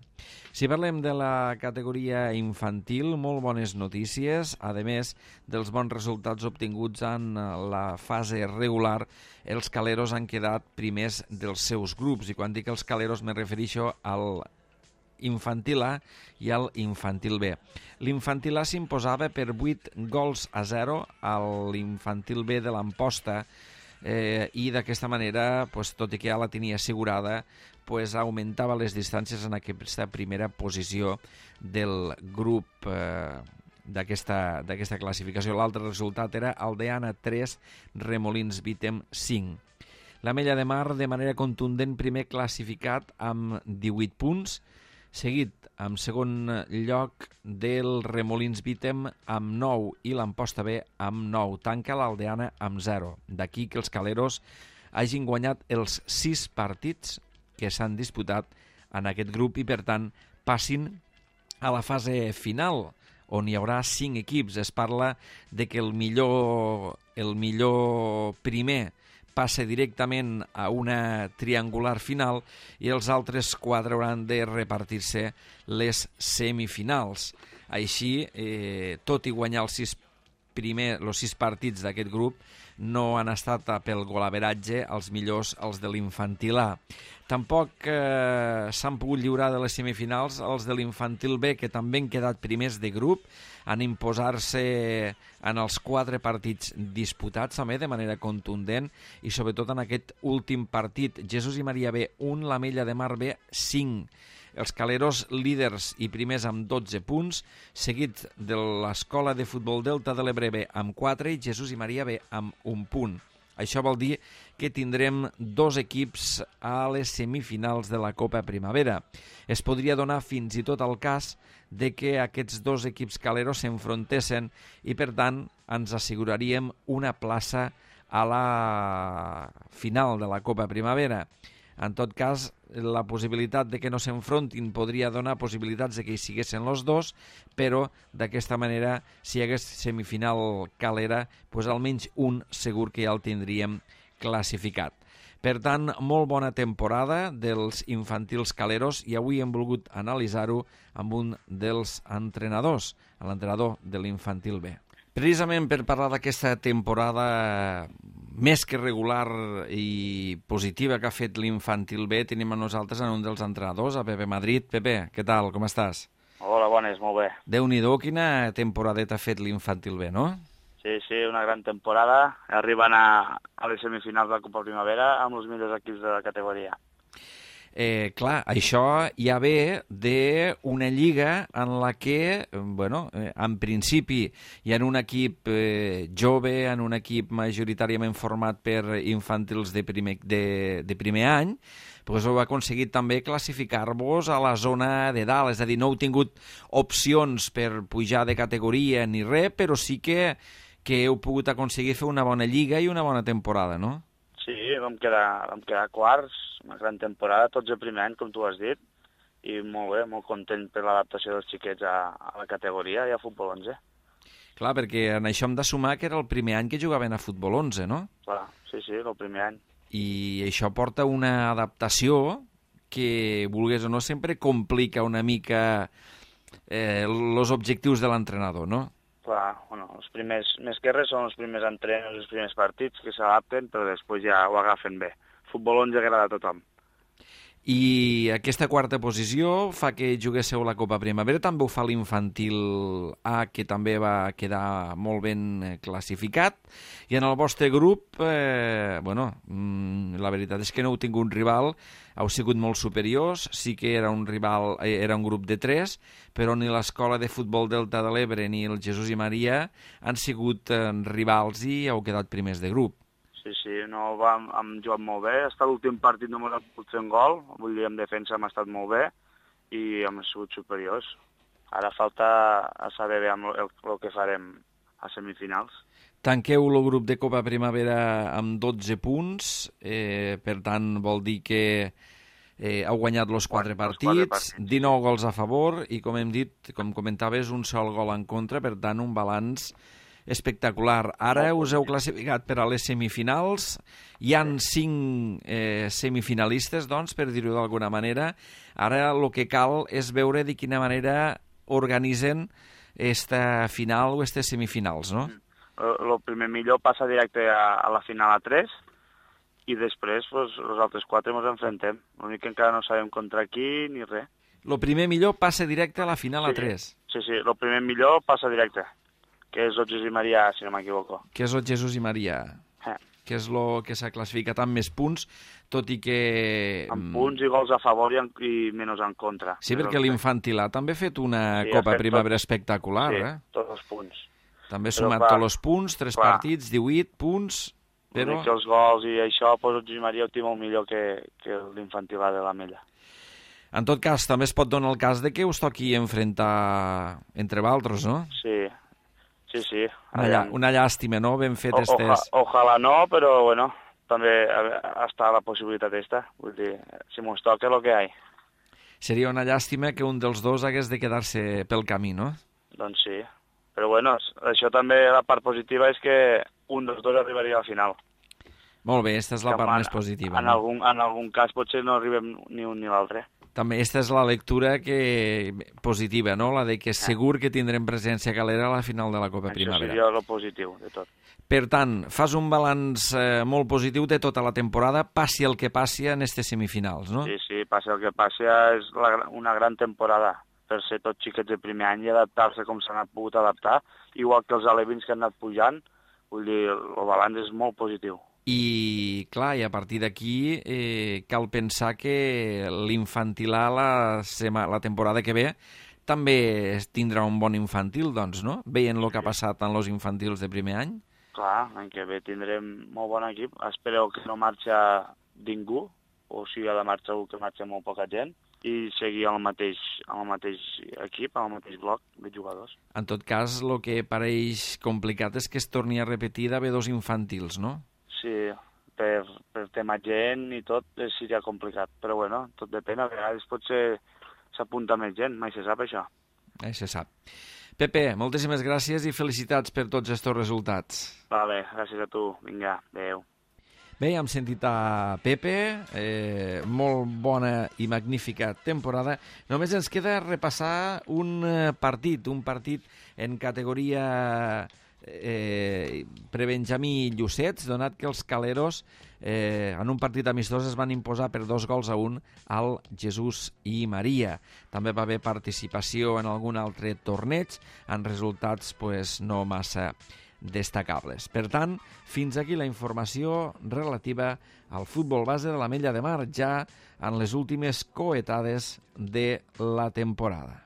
Si parlem de la categoria infantil, molt bones notícies. A més dels bons resultats obtinguts en la fase regular, els caleros han quedat primers dels seus grups, i quan dic els caleros me refereixo al infantil A i al infantil B. L'infantil A s'imposava per vuit gols a zero a l'infantil B de l'Amposta, eh, i d'aquesta manera, pues, tot i que ja la tenia assegurada, pues, augmentava les distàncies en aquesta primera posició del grup eh, d'aquesta d'aquesta classificació. L'altre resultat era Aldeana tres, Remolins Vítem cinc. L'Ametlla de Mar, de manera contundent, primer classificat amb divuit punts, seguit en segon lloc del Remolins Vítem amb nou i l'Amposta B amb nou. Tanca l'Aldeana amb zero. D'aquí que els caleros hagin guanyat els sis partits que s'han disputat en aquest grup i, per tant, passin a la fase final, on hi haurà cinc equips. Es parla de que el millor, el millor primer passa directament a una triangular final i els altres quatre hauran de repartir-se les semifinals. Així, eh, tot i guanyar els sis, primer, els sis partits d'aquest grup, no han estat pel golaveratge els millors els de l'infantil A. Tampoc eh, s'han pogut lliurar de les semifinals els de l'infantil B, que també han quedat primers de grup, en imposar-se en els quatre partits disputats també de manera contundent, i sobretot en aquest últim partit. Jesús i Maria B un, l'Ametlla de Mar B cinc. Els caleros líders i primers amb dotze punts, seguit de l'Escola de Futbol Delta de l'Ebre B amb quatre i Jesús i Maria B amb un punt. Això vol dir que tindrem dos equips a les semifinals de la Copa Primavera. Es podria donar fins i tot el cas de que aquests dos equips caleros s'enfrontessin i, per tant, ens asseguraríem una plaça a la final de la Copa Primavera. En tot cas, la possibilitat de que no s'enfrontin podria donar possibilitats de que hi siguessin els dos, però d'aquesta manera, si hi hagués semifinal calera, doncs almenys un segur que ja el tindríem classificat. Per tant, molt bona temporada dels infantils caleros, i avui hem volgut analitzar-ho amb un dels entrenadors, l'entrenador de l'infantil B. Precisament per parlar d'aquesta temporada més que regular i positiva que ha fet l'infantil B, tenim a nosaltres en un dels entrenadors, a Pepe Madrid. Pepe, què tal, com estàs? Hola, bones, molt bé. Déu-n'hi-do, quina temporadeta ha fet l'infantil B, no? Sí, sí, una gran temporada. Arriben a, a les semifinals de la Copa Primavera amb els millors equips de la categoria. Eh, clar, això ja ve d'una lliga en la que, bueno, eh, en principi hi ha un equip eh, jove, en un equip majoritàriament format per infantils de primer, de, de primer any, doncs heu aconseguit també classificar-vos a la zona de dalt, és a dir, no heu tingut opcions per pujar de categoria ni res, però sí que, que heu pogut aconseguir fer una bona lliga i una bona temporada, no? Sí, vam quedar, vam quedar quarts, una gran temporada, tots el primer any, com tu has dit, i molt bé, molt content per l'adaptació dels xiquets a, a la categoria i a futbol onze. Clar, perquè en això hem de sumar que era el primer any que jugaven a futbol onze, no? Clar, sí, sí, el primer any. I això porta una adaptació que, vulgués o no, sempre complica una mica eh, els objectius de l'entrenador, no? Clar, bueno, els primers, més que res són els primers entrenos, els primers partits que s'adapten, però després ja ho agafen bé. Futbol onze agrada a tothom. I aquesta quarta posició fa que juguéssiu la Copa Primavera, també ho fa l'infantil A, que també va quedar molt ben classificat, i en el vostre grup, eh, bueno, la veritat és que no heu tingut un rival, heu sigut molt superiors, sí que era un rival, era un grup de tres, però ni l'Escola de Futbol Delta de l'Ebre ni el Jesús i Maria han sigut eh, rivals i heu quedat primers de grup. Sí, sí, no, vam, hem jugat molt bé. Hasta l'últim partit no m'ha pogut fer un gol, vull dir, en defensa hem estat molt bé i hem sigut superiors. Ara falta a saber bé el, el, el que farem a semifinals. Tanqueu el grup de Copa Primavera amb dotze punts, eh, per tant vol dir que eh, heu guanyat els quatre partits, partits, dinou gols a favor i, com hem dit, com comentaves, un sol gol en contra, per tant un balanç espectacular. Ara us heu classificat per a les semifinals. Hi han cinc eh, semifinalistes, doncs, per dir-ho d'alguna manera. Ara el que cal és veure de quina manera organitzen esta final o aquestes semifinals, no? El primer millor passa directe a, a la final a tres i després pues, els altres quatre ens enfrontem. L'únic que encara no sabem contra qui ni res. El primer millor passa directe a la final sí, a tres. Sí, sí, el primer millor passa directe, que és el Jesús i Maria, si no m'equivoco. Que és el Jesús i Maria, eh. que és el que s'ha classificat amb més punts, tot i que... Amb punts i gols a favor i, en, i menys en contra. Sí, perquè l'Infantil A també ha fet una sí, Copa fet Primavera tot... espectacular, sí, eh? tots els punts. També ha sumat tots els punts, tres clar, partits, divuit punts, però... Que els gols i això, doncs el Jesús i Maria ho té molt millor que, que l'Infantil A de la Mella. En tot cas, també es pot donar el cas de que us toqui enfrontar entre vosaltres, no? Sí, sí, sí. Una, llà, una llàstima, no?, ben fet o, estes... Oja, ojalà no, però, bueno, també està la possibilitat esta. Vull dir, si mos toca, el que hi ha. Seria una llàstima que un dels dos hagués de quedar-se pel camí, no? Doncs sí. Però, bueno, això també, la part positiva és que un dels dos arribaria a la final. Molt bé, aquesta és la que part en, més positiva. En, no? algun, en algun cas potser no arribem ni un ni l'altre. També aquesta és la lectura que positiva, no? La de que segur que tindrem presència calera a la final de la Copa Això Primavera. Això seria el positiu de tot. Per tant, fas un balanç eh, molt positiu de tota la temporada, passi el que passi en aquestes semifinals, no? Sí, sí, passi el que passi, és la, una gran temporada per ser tots xiquets de primer any i adaptar-se com s'han pogut adaptar, igual que els alevins que han anat pujant, vull dir, el balanç és molt positiu. I, clar, i a partir d'aquí eh, cal pensar que l'infantil A la, sema, la temporada que ve també tindrà un bon infantil, doncs, no? Veient el que ha passat en els infantils de primer any. Clar, l'any que ve tindrem molt bon equip. Espereu que no marxa ningú, o si ha de marxar algú que marxa molt poca gent, i seguir amb el mateix, amb el mateix equip, amb el mateix bloc de jugadors. En tot cas, el que pareix complicat és que es torni a repetir d'haver dos infantils, no? Sí, per, per tema gent i tot seria complicat, però bueno, tot depèn, a vegades potser s'apunta més gent, mai se sap això. Eh, se sap. Pepe, moltíssimes gràcies i felicitats per tots aquests resultats. Vale, gràcies a tu, vinga, adeu. Bé, hem sentit a Pepe, eh, molt bona i magnífica temporada. Només ens queda repassar un partit, un partit en categoria eh, prebenjamí Llucets, donat que els caleros eh, en un partit amistós es van imposar per dos gols a un al Jesús i Maria. També va haver participació en algun altre torneig, en resultats pues, no massa destacables. Per tant, fins aquí la informació relativa al futbol base de l'Ametlla de Mar, ja en les últimes coetades de la temporada.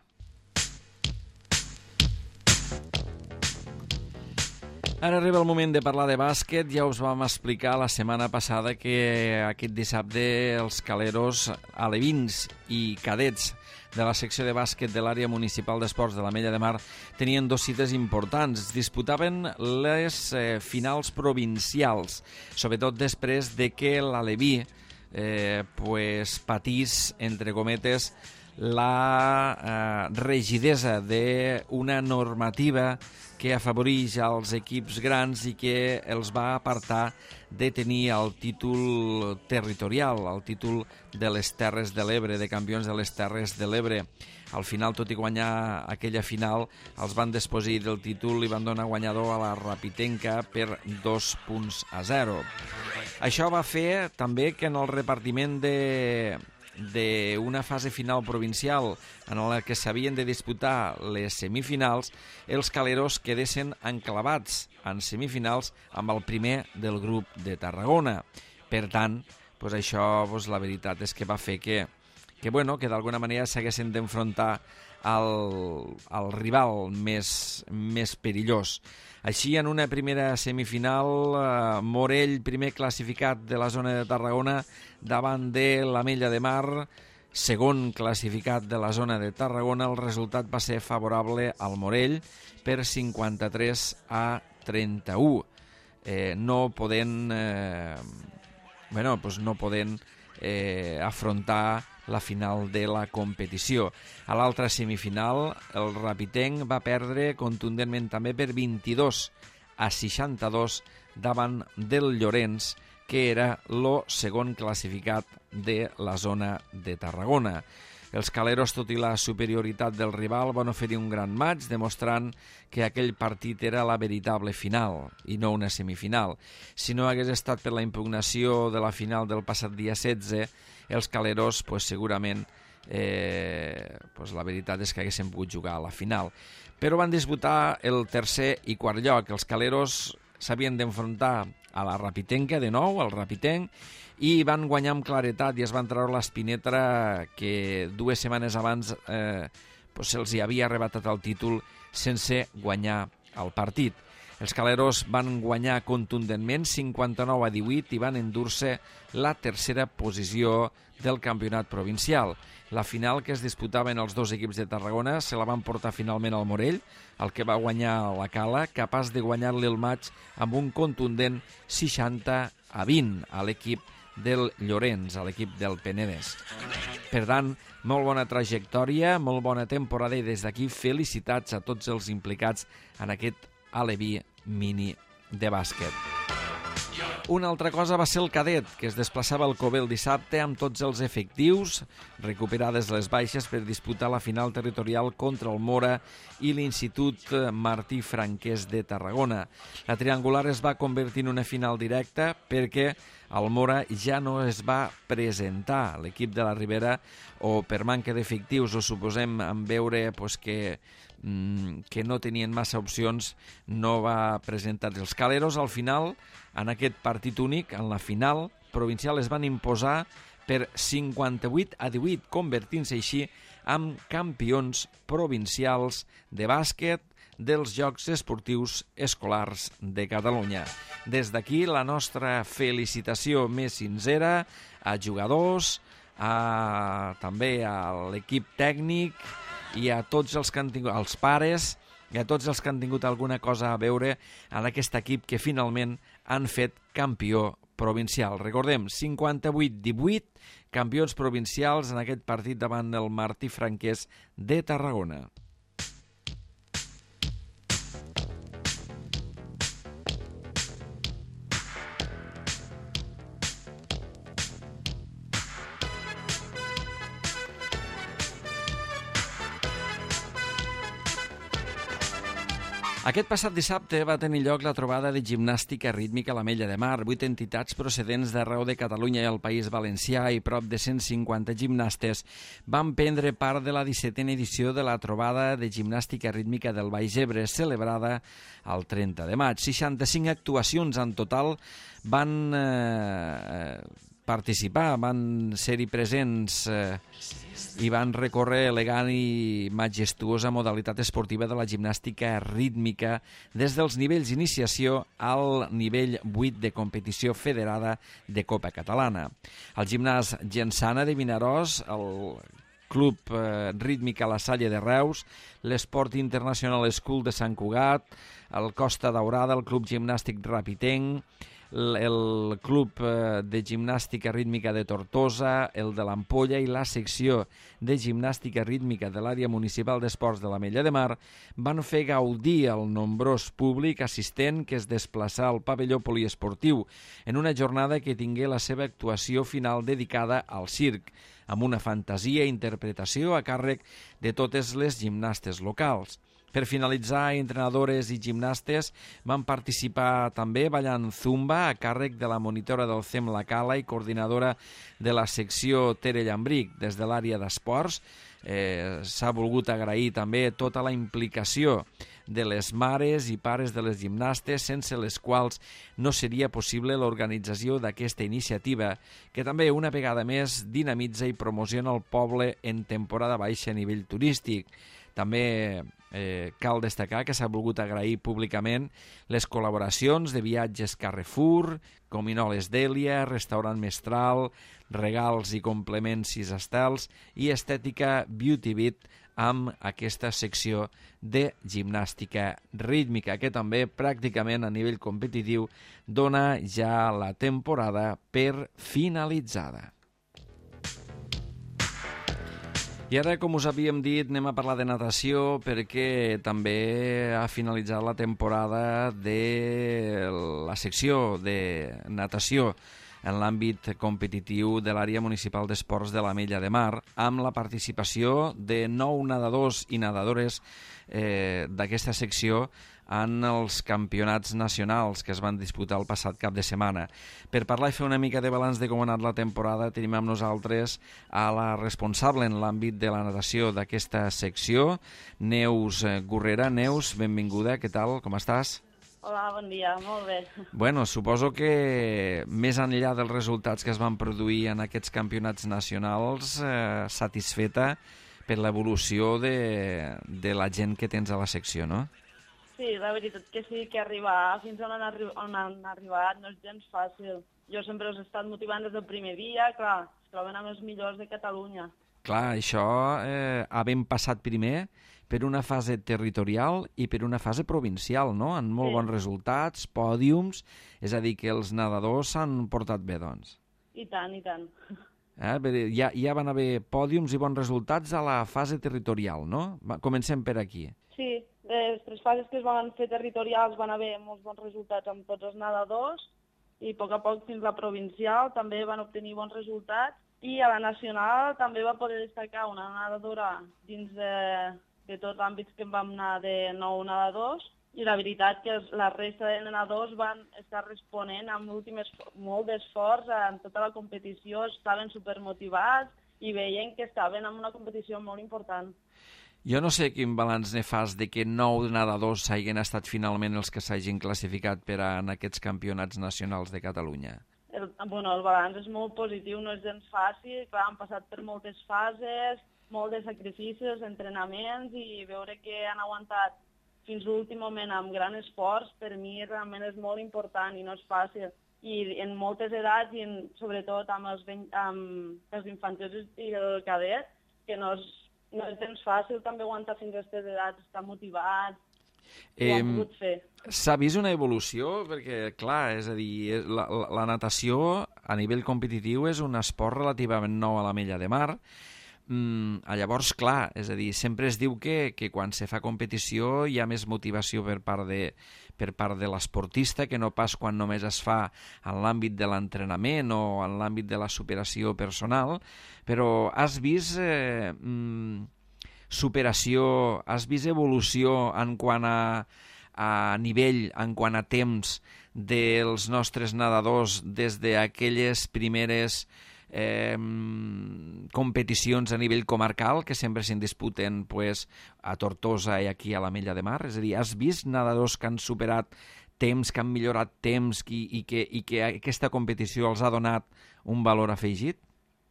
Ara arriba el moment de parlar de bàsquet. Ja us vam explicar la setmana passada que aquest dissabte els caleros alevins i cadets de la secció de bàsquet de l'àrea municipal d'esports de l'Ametlla de Mar tenien dos cites importants. Disputaven les eh, finals provincials, sobretot després de que l'Aleví eh, pues, patís, entre cometes, la eh, rigidesa d'una normativa que afavoreix als equips grans i que els va apartar de tenir el títol territorial, el títol de les Terres de l'Ebre, de campions de les Terres de l'Ebre. Al final, tot i guanyar aquella final, els van desposir del títol i van donar guanyador a la Rapitenca per dos punts a zero. Això va fer també que en el repartiment de... d'una fase final provincial en la que s'havien de disputar les semifinals, els caleros quedessin enclavats en semifinals amb el primer del grup de Tarragona. Per tant, doncs això, doncs la veritat és que va fer que, que, bueno, que d'alguna manera s'haguessin d'enfrontar al, al rival més, més perillós. Així, en una primera semifinal, eh, Morell, primer classificat de la zona de Tarragona, davant de l'Ametlla de Mar, segon classificat de la zona de Tarragona. El resultat va ser favorable al Morell per cinquanta-tres a trenta-u. Eh, no podent, eh, bueno, doncs no podent eh, afrontar la final de la competició. A l'altra semifinal, el Rapitenc va perdre contundentment també per vint-i-dos a seixanta-dos davant del Llorenç, que era el segon classificat de la zona de Tarragona. Els caleros, tot i la superioritat del rival, van oferir un gran match, demostrant que aquell partit era la veritable final i no una semifinal. Si no hagués estat per la impugnació de la final del passat dia setze, els caleros, pues, segurament, eh, pues, la veritat és que haguessin pogut jugar a la final. Però van disputar el tercer i quart lloc. Els caleros s'havien d'enfrontar a la Rapitenca, de nou, al Rapitenc, i van guanyar amb claretat i es van treure l'espinetra que dues setmanes abans eh, pues, se'ls hi havia arrebatat el títol sense guanyar el partit. Els caleros van guanyar contundentment cinquanta-nou a divuit i van endur-se la tercera posició del campionat provincial. La final, que es disputaven els dos equips de Tarragona, se la van portar finalment al Morell, el que va guanyar la Cala, capaç de guanyar-li el maig amb un contundent seixanta a vint a l'equip del Llorenç, a l'equip del Penedès. Per tant, molt bona trajectòria, molt bona temporada i des d'aquí felicitats a tots els implicats en aquest aleví mini de bàsquet. Una altra cosa va ser el cadet, que es desplaçava al Cové el dissabte amb tots els efectius, recuperades les baixes per disputar la final territorial contra el Mora i l'Institut Martí Franquès de Tarragona. La triangular es va convertir en una final directa perquè el Mora ja no es va presentar. L'equip de la Ribera, o per manca d'efectius, o suposem en veure pues, que que no tenien massa opcions, no va presentar els caleros. Al final, en aquest partit únic, en la final provincial, es van imposar per cinquanta-vuit a divuit, convertint-se així en campions provincials de bàsquet dels Jocs Esportius Escolars de Catalunya. Des d'aquí, la nostra felicitació més sincera a jugadors, a, també a l'equip tècnic, i a tots els que han tingut, als pares, i a tots els que han tingut alguna cosa a veure en aquest equip que finalment han fet campió provincial. Recordem, cinquanta-vuit divuit, campions provincials en aquest partit davant del Martí Franquès de Tarragona. Aquest passat dissabte va tenir lloc la trobada de gimnàstica rítmica a l'Ametlla de Mar. Vuit entitats procedents d'arreu de Catalunya i el País Valencià i prop de cent cinquanta gimnastes van prendre part de la dissetena edició de la trobada de gimnàstica rítmica del Baix Ebre, celebrada el trenta de maig. seixanta-cinc actuacions en total van eh, participar, van ser-hi presents eh, i van recórrer elegant i majestuosa modalitat esportiva de la gimnàstica rítmica des dels nivells d'iniciació al nivell vuit de competició federada de Copa Catalana. El gimnàs Gensana de Vinaròs, el Club eh, Rítmica La Salle de Reus, l'Esport International School de Sant Cugat, el Costa Daurada, el Club Gimnàstic Rapitenc, el Club de Gimnàstica Rítmica de Tortosa, el de l'Ampolla i la secció de Gimnàstica Rítmica de l'Àrea Municipal d'Esports de l'Ametlla de Mar van fer gaudir el nombrós públic assistent que es desplaçà al pavelló poliesportiu en una jornada que tingué la seva actuació final dedicada al circ, amb una fantasia i interpretació a càrrec de totes les gimnastes locals. Per finalitzar, entrenadores i gimnastes van participar també ballant zumba a càrrec de la monitora del C E M La Cala i coordinadora de la secció Tere Llambric. Des de l'àrea d'esports eh, s'ha volgut agrair també tota la implicació de les mares i pares de les gimnastes, sense les quals no seria possible l'organització d'aquesta iniciativa, que també una vegada més dinamitza i promociona el poble en temporada baixa a nivell turístic. També eh, cal destacar que s'ha volgut agrair públicament les col·laboracions de Viatges Carrefour, Cominoles Dèlia, Restaurant Mestral, Regals i Complements Sis Estels i Estètica Beauty Beat amb aquesta secció de gimnàstica rítmica, que també pràcticament a nivell competitiu dona ja la temporada per finalitzada. I ara, com us havíem dit, anem a parlar de natació perquè també ha finalitzat la temporada de la secció de natació en l'àmbit competitiu de l'àrea municipal d'esports de l'Ametlla de Mar, amb la participació de nou nedadors i nedadores eh, d'aquesta secció en els campionats nacionals que es van disputar el passat cap de setmana. Per parlar i fer una mica de balanç de com ha anat la temporada, tenim amb nosaltres a la responsable en l'àmbit de la natació d'aquesta secció, Neus Gurrera. Neus, benvinguda, què tal, com estàs? Hola, bon dia, molt bé. Bueno, suposo que més enllà dels resultats que es van produir en aquests campionats nacionals, eh, satisfeta per l'evolució de, de la gent que tens a la secció, no? Sí, la veritat que sí, que arribar fins on han, arri on han arribat no és gens fàcil. Jo sempre us he estat motivant des del primer dia, clar, es troben amb els millors de Catalunya. Clar, això eh, havent passat primer per una fase territorial i per una fase provincial, no? Amb molt sí. bons resultats, pòdiums, és a dir, que els nedadors s'han portat bé, doncs. I tant, i tant. Eh? Ja, ja van haver pòdiums i bons resultats a la fase territorial, no? Va, comencem per aquí. Sí, les tres fases que es van fer territorials van haver molts bons resultats amb tots els nedadors i a poc a poc fins la provincial també van obtenir bons resultats i a la nacional també va poder destacar una nedadora dins de, de tots els àmbits que vam anar de nou nedadors i la veritat que la resta de nedadors van estar responent amb l'últim molt d'esforç en tota la competició, estaven supermotivats i veien que estaven en una competició molt important. Jo no sé quin balanç ne fas de que nou nedadors hagin estat finalment els que s'hagin classificat per a en aquests campionats nacionals de Catalunya. El, bueno, el balanç és molt positiu, no és gens fàcil, clar, han passat per moltes fases, molt de sacrificis, entrenaments i veure que han aguantat fins l'últim moment amb gran esforç, per mi realment és molt important i no és fàcil. I en moltes edats i en, sobretot amb els, amb els infantils i el cadet, que no és No és temps fàcil també aguantar fins a aquestes edats, estar motivats, eh, ho han pogut fer. S'ha vist una evolució? Perquè, clar, és a dir, la, la, la natació a nivell competitiu és un esport relativament nou a l'Ametlla de Mar. Mm, llavors, clar, és a dir, sempre es diu que, que quan se fa competició hi ha més motivació per part de, per part de l'esportista que no pas quan només es fa en l'àmbit de l'entrenament o en l'àmbit de la superació personal, però has vist eh, mm, superació, has vist evolució en quant a, a nivell en quant a temps dels nostres nedadors des d'aquelles primeres eh, competicions a nivell comarcal que sempre se'n disputen pues, a Tortosa i aquí a l'Ametlla de Mar? És a dir, has vist nedadors que han superat temps, que han millorat temps i, i, que, i que aquesta competició els ha donat un valor afegit?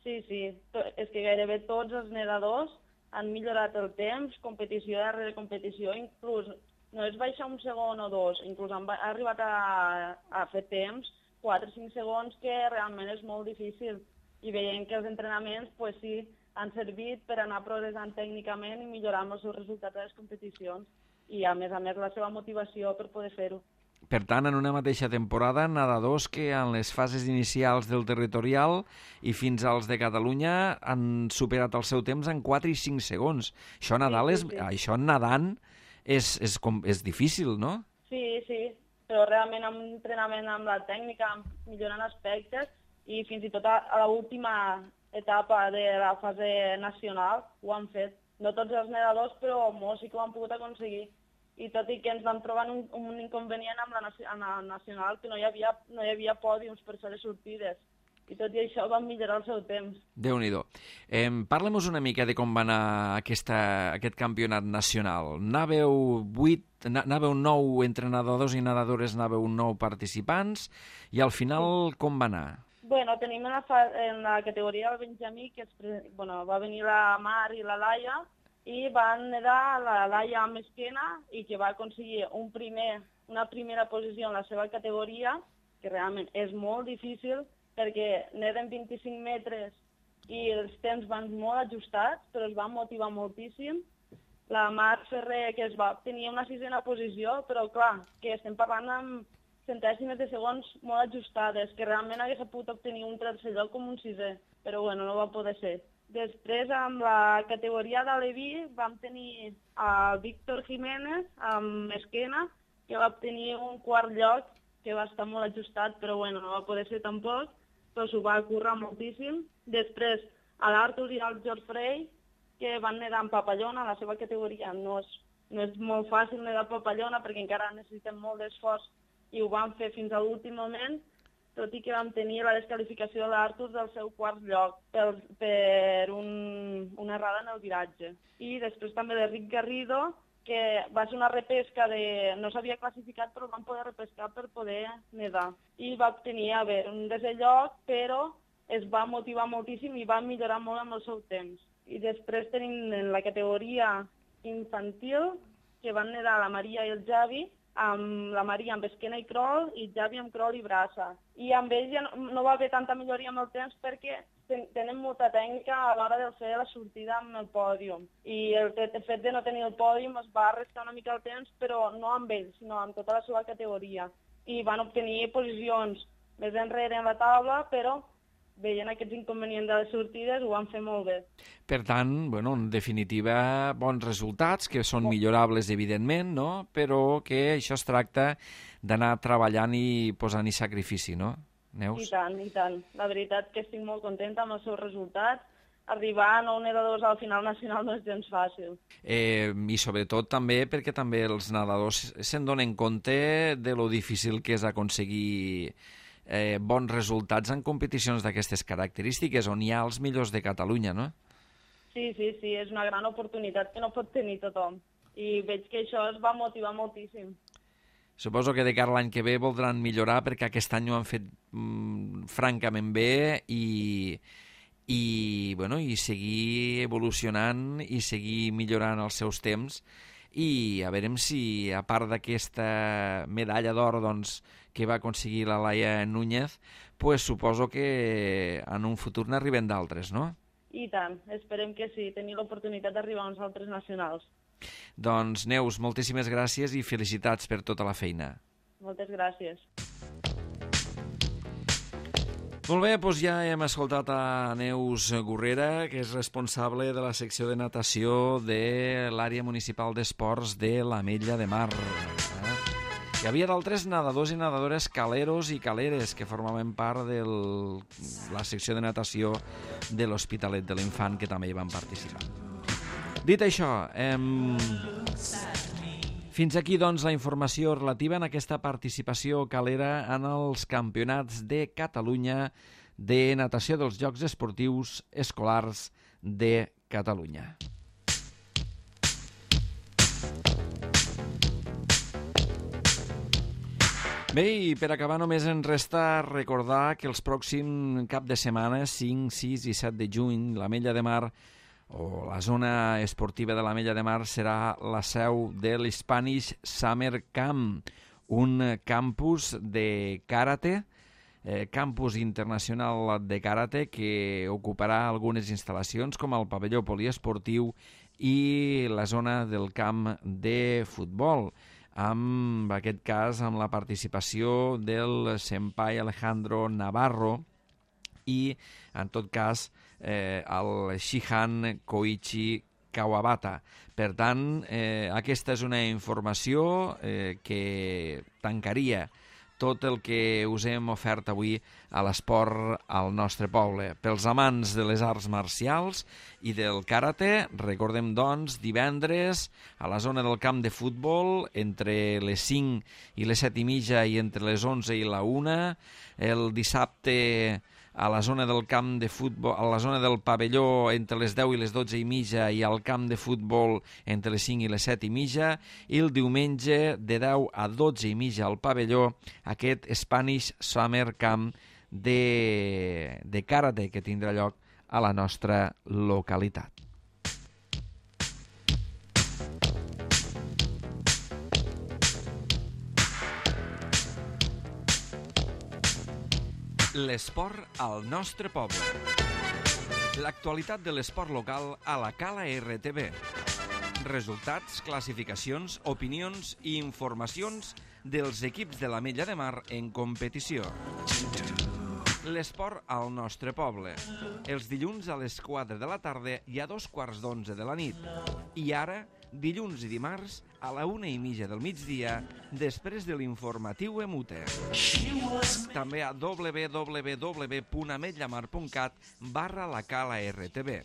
Sí, sí. És que gairebé tots els nedadors han millorat el temps, competició darrere competició, inclús no és baixar un segon o dos, inclús han arribat a, a fer temps, quatre o cinc segons, que realment és molt difícil. I veiem que els entrenaments, pues sí, han servit per anar progressant tècnicament i millorar els seus resultats a les competicions. I, a més a més, la seva motivació per poder fer-ho. Per tant, en una mateixa temporada, nedadors que en les fases inicials del territorial i fins als de Catalunya han superat el seu temps en quatre i cinc segons. Això, Nadal, sí, sí, sí. És, això nedant és, és, com, és difícil, no? Sí, sí, però realment amb entrenament amb la tècnica, millorant aspectes, i fins i tot a, a l'última etapa de la fase nacional ho han fet. No tots els nedadors, però molts sí que ho han pogut aconseguir. I tot i que ens vam trobar un, un inconvenient amb la, amb la nacional, que no hi havia, no hi havia pòdiums per fer les sortides. I tot i això vam millorar el seu temps. Déu-n'hi-do. Eh, Parlem-nos una mica de com va anar aquesta, aquest campionat nacional. Anàveu vuit, anàveu nou entrenadors i nedadores, anàveu nou participants, i al final sí. Com va anar? Bueno, tenim en la, fa, en la categoria del Benjamí, que és, bueno, va venir la Mar i la Laia, i van nedar la Laia amb esquena i que va aconseguir un primer, una primera posició en la seva categoria, que realment és molt difícil perquè neden vint-i-cinc metres i els temps van molt ajustats, però es va motivar moltíssim. La Mar Ferrer, que es va obtenir una sisena posició, però clar, que estem parlant amb centèsimes de segons molt ajustades, que realment hagués pogut obtenir un tercer lloc com un sisè, però bueno, no va poder ser. Després, amb la categoria d'Aleví, vam tenir a Víctor Jiménez, amb esquena, que va obtenir un quart lloc, que va estar molt ajustat, però bueno, no va poder ser tampoc, però s'ho va currar moltíssim. Després, a l'Artur i al George Frey, que van nedar en papallona, la seva categoria no és, no és molt fàcil nedar papallona, perquè encara necessitem molt d'esforç, i ho van fer fins a l'últim moment, tot i que vam tenir la descalificació de l'Artur del seu quart lloc per, per un, una errada en el viratge. I després també l'Enric Garrido, que va ser una repesca de... no s'havia classificat, però van poder repescar per poder nedar. I va obtenir, a veure, un desè lloc, però es va motivar moltíssim i va millorar molt amb el seu temps. I després tenim en la categoria infantil, que van nedar la Maria i el Javi, amb la Maria amb esquena i crawl i Javi amb crawl i braça. I amb ells ja no, no va haver tanta milloria amb el temps perquè ten, tenen molta tècnica a l'hora de fer la sortida amb el pòdium. I el, el fet de no tenir el pòdium es va restar una mica el temps, però no amb ells, sinó amb tota la seva categoria. I van obtenir posicions més enrere en la taula, però veient aquests inconvenients de les sortides, ho van fer molt bé. Per tant, bueno, en definitiva, bons resultats, que són millorables, evidentment, no? Però que això es tracta d'anar treballant i posant-hi sacrifici, no, Neus? I tant, i tant. La veritat que estic molt contenta amb els seus resultats. Arribar a nou nedadors al final nacional no és gens fàcil. Eh, I sobretot també perquè també els nedadors se'n donen compte de lo difícil que és aconseguir Eh, bons resultats en competicions d'aquestes característiques, on hi ha els millors de Catalunya, no? Sí, sí, sí, és una gran oportunitat que no pot tenir tothom. I veig que això es va motivar moltíssim. Suposo que de cara a l'any que ve voldran millorar, perquè aquest any ho han fet mm, francament bé i, i, bueno, i seguir evolucionant i seguir millorant els seus temps. I a veurem si, a part d'aquesta medalla d'or, doncs, que va aconseguir la Laia Núñez, pues suposo que en un futur n'arriben d'altres, no? I tant, esperem que sí, tenir l'oportunitat d'arribar a uns altres nacionals. Doncs, Neus, moltíssimes gràcies i felicitats per tota la feina. Moltes gràcies. Molt bé, doncs ja hem escoltat a Neus Gurrera, que és responsable de la secció de natació de l'àrea municipal d'esports de l'Ametlla de Mar. Eh? Hi havia d'altres nedadors i nedadores caleros i caleres que formaven part de la secció de natació de l'Hospitalet de l'Infant, que també hi van participar. Dit això, hem... Fins aquí, doncs, la informació relativa en aquesta participació calera en els campionats de Catalunya de natació dels Jocs Esportius Escolars de Catalunya. Bé, i per acabar només ens resta recordar que els pròxims cap de setmana, cinc, sis i set de juny, l'Ametlla de Mar o la zona esportiva de l'Ametlla de Mar serà la seu de l'Spanish Summer Camp, un campus de karate, eh, campus internacional de karate que ocuparà algunes instal·lacions com el pavelló poliesportiu i la zona del camp de futbol, amb aquest cas amb la participació del senpai Alejandro Navarro i, en tot cas, eh, el Shihan Koichi Kawabata. Per tant, eh, aquesta és una informació eh, que tancaria tot el que us hem ofert avui a l'esport al nostre poble. Pels amants de les arts marcials i del karate, recordem, doncs, divendres a la zona del camp de futbol, entre les cinc i les set i mitja i entre les onze i la una, el dissabte a la zona del camp de futbol, a la zona del pavelló entre les deu i les dotze i mitja i al camp de futbol entre les cinc i les set i mitja, i el diumenge de deu a dotze i mitja al pavelló aquest Spanish Summer Camp de, de karate que tindrà lloc a la nostra localitat. L'esport al nostre poble. L'actualitat de l'esport local a la Cala R T V. Resultats, classificacions, opinions i informacions dels equips de l'Ametlla de Mar en competició. L'esport al nostre poble. Els dilluns a les quatre de la tarda i a dos quarts d'onze de la nit. I ara, dilluns i dimarts, a la una i mitja del migdia, després de l'informatiu Emute. També a w w w punt ametllamar punt cat barra la Cala R T V.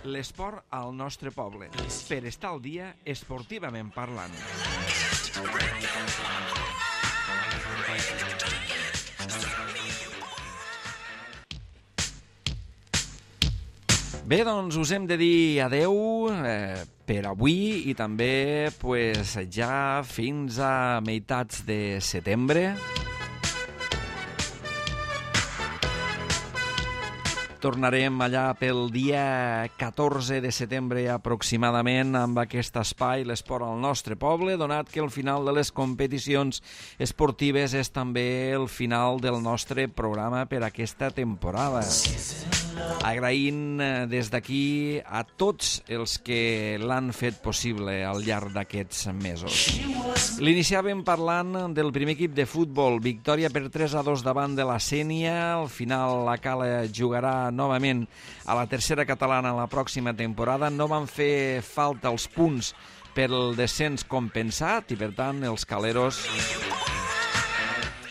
L'esport al nostre poble, per estar al dia esportivament parlant. Bé, doncs us hem de dir adeu eh, per avui i també pues, ja fins a meitats de setembre. Tornarem allà pel dia catorze de setembre aproximadament amb aquest espai, l'esport al nostre poble, donat que el final de les competicions esportives és també el final del nostre programa per aquesta temporada. Agraint des d'aquí a tots els que l'han fet possible al llarg d'aquests mesos. L'iniciàvem parlant del primer equip de futbol, victòria per tres a dos davant de la Sénia. Al final la Cala jugarà novament a la tercera catalana la pròxima temporada. No van fer falta els punts per el descens compensat i, per tant, els caleros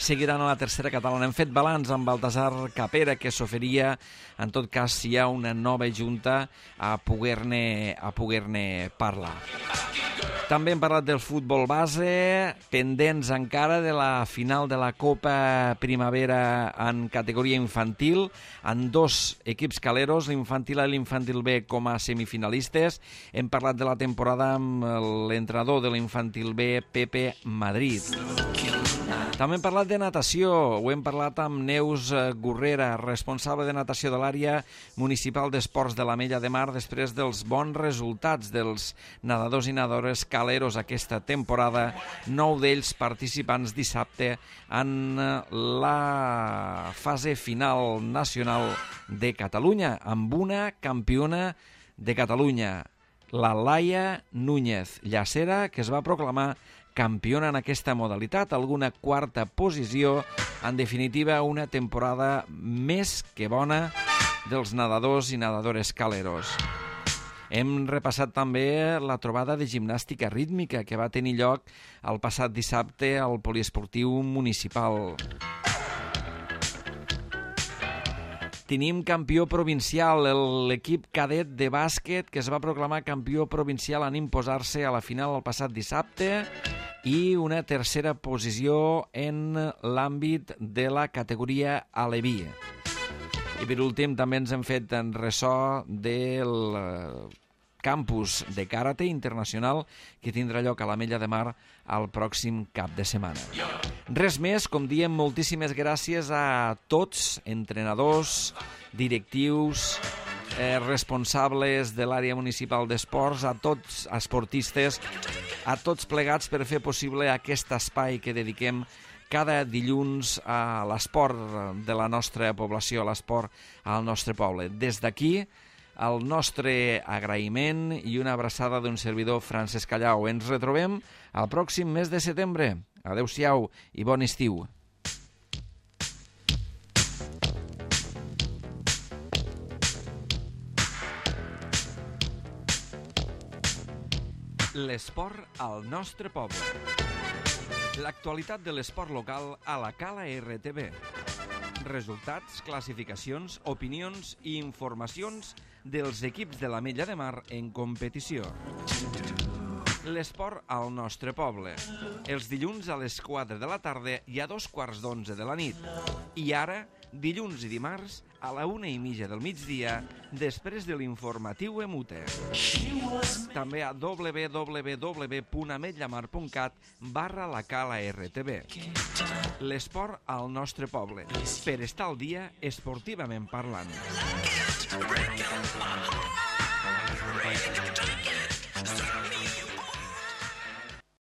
seguiran a la tercera catalana. Hem fet balanç amb Baltasar Capera, que s'oferia, en tot cas, si hi ha una nova junta, a poder-ne a poder-ne parlar. També hem parlat del futbol base, pendents encara de la final de la Copa Primavera en categoria infantil, amb dos equips caleros, l'infantil A i l'infantil B, com a semifinalistes. Hem parlat de la temporada amb l'entrenador de l'infantil B, Pepe Madrid. També hem parlat de natació, ho hem parlat amb Neus Gurrera, responsable de natació de l'àrea municipal d'esports de l'Ametlla de Mar, després dels bons resultats dels nedadors i nedadores caleros aquesta temporada, nou d'ells participants dissabte en la fase final nacional de Catalunya, amb una campiona de Catalunya, la Laia Núñez Llacera, que es va proclamar campiona en aquesta modalitat, alguna quarta posició, en definitiva una temporada més que bona dels nedadors i nedadores caleros. Hem repassat també la trobada de gimnàstica rítmica que va tenir lloc el passat dissabte al poliesportiu municipal. tenim campió provincial, l'equip cadet de bàsquet que es va proclamar campió provincial en imposar-se a la final el passat dissabte i una tercera posició en l'àmbit de la categoria aleví. I per últim també ens hem fet en ressò del campus de karate internacional que tindrà lloc a l'Ametlla de Mar el pròxim cap de setmana. Res més, com diem, moltíssimes gràcies a tots, entrenadors, directius, eh, responsables de l'àrea municipal d'esports, a tots esportistes, a tots plegats per fer possible aquest espai que dediquem cada dilluns a l'esport de la nostra població, a l'esport al nostre poble. Des d'aquí, el nostre agraïment i una abraçada d'un servidor, Francesc Callau. Ens retrobem el pròxim mes de setembre. Adéu-siau i bon estiu. L'esport al nostre poble. L'actualitat de l'esport local a la Cala R T V. Resultats, classificacions, opinions i informacions dels equips de l'Ametlla de Mar en competició. L'esport al nostre poble. Els dilluns a les quatre de la tarda i a dos quarts d'onze de la nit. I ara, dilluns i dimarts, a la una i mitja del migdia, després de l'informatiu Emute. També a w w w punt ametllamar punt cat barra la Cala R T V. L'esport al nostre poble, per estar al dia esportivament parlant. Break it, break it, break it, break it.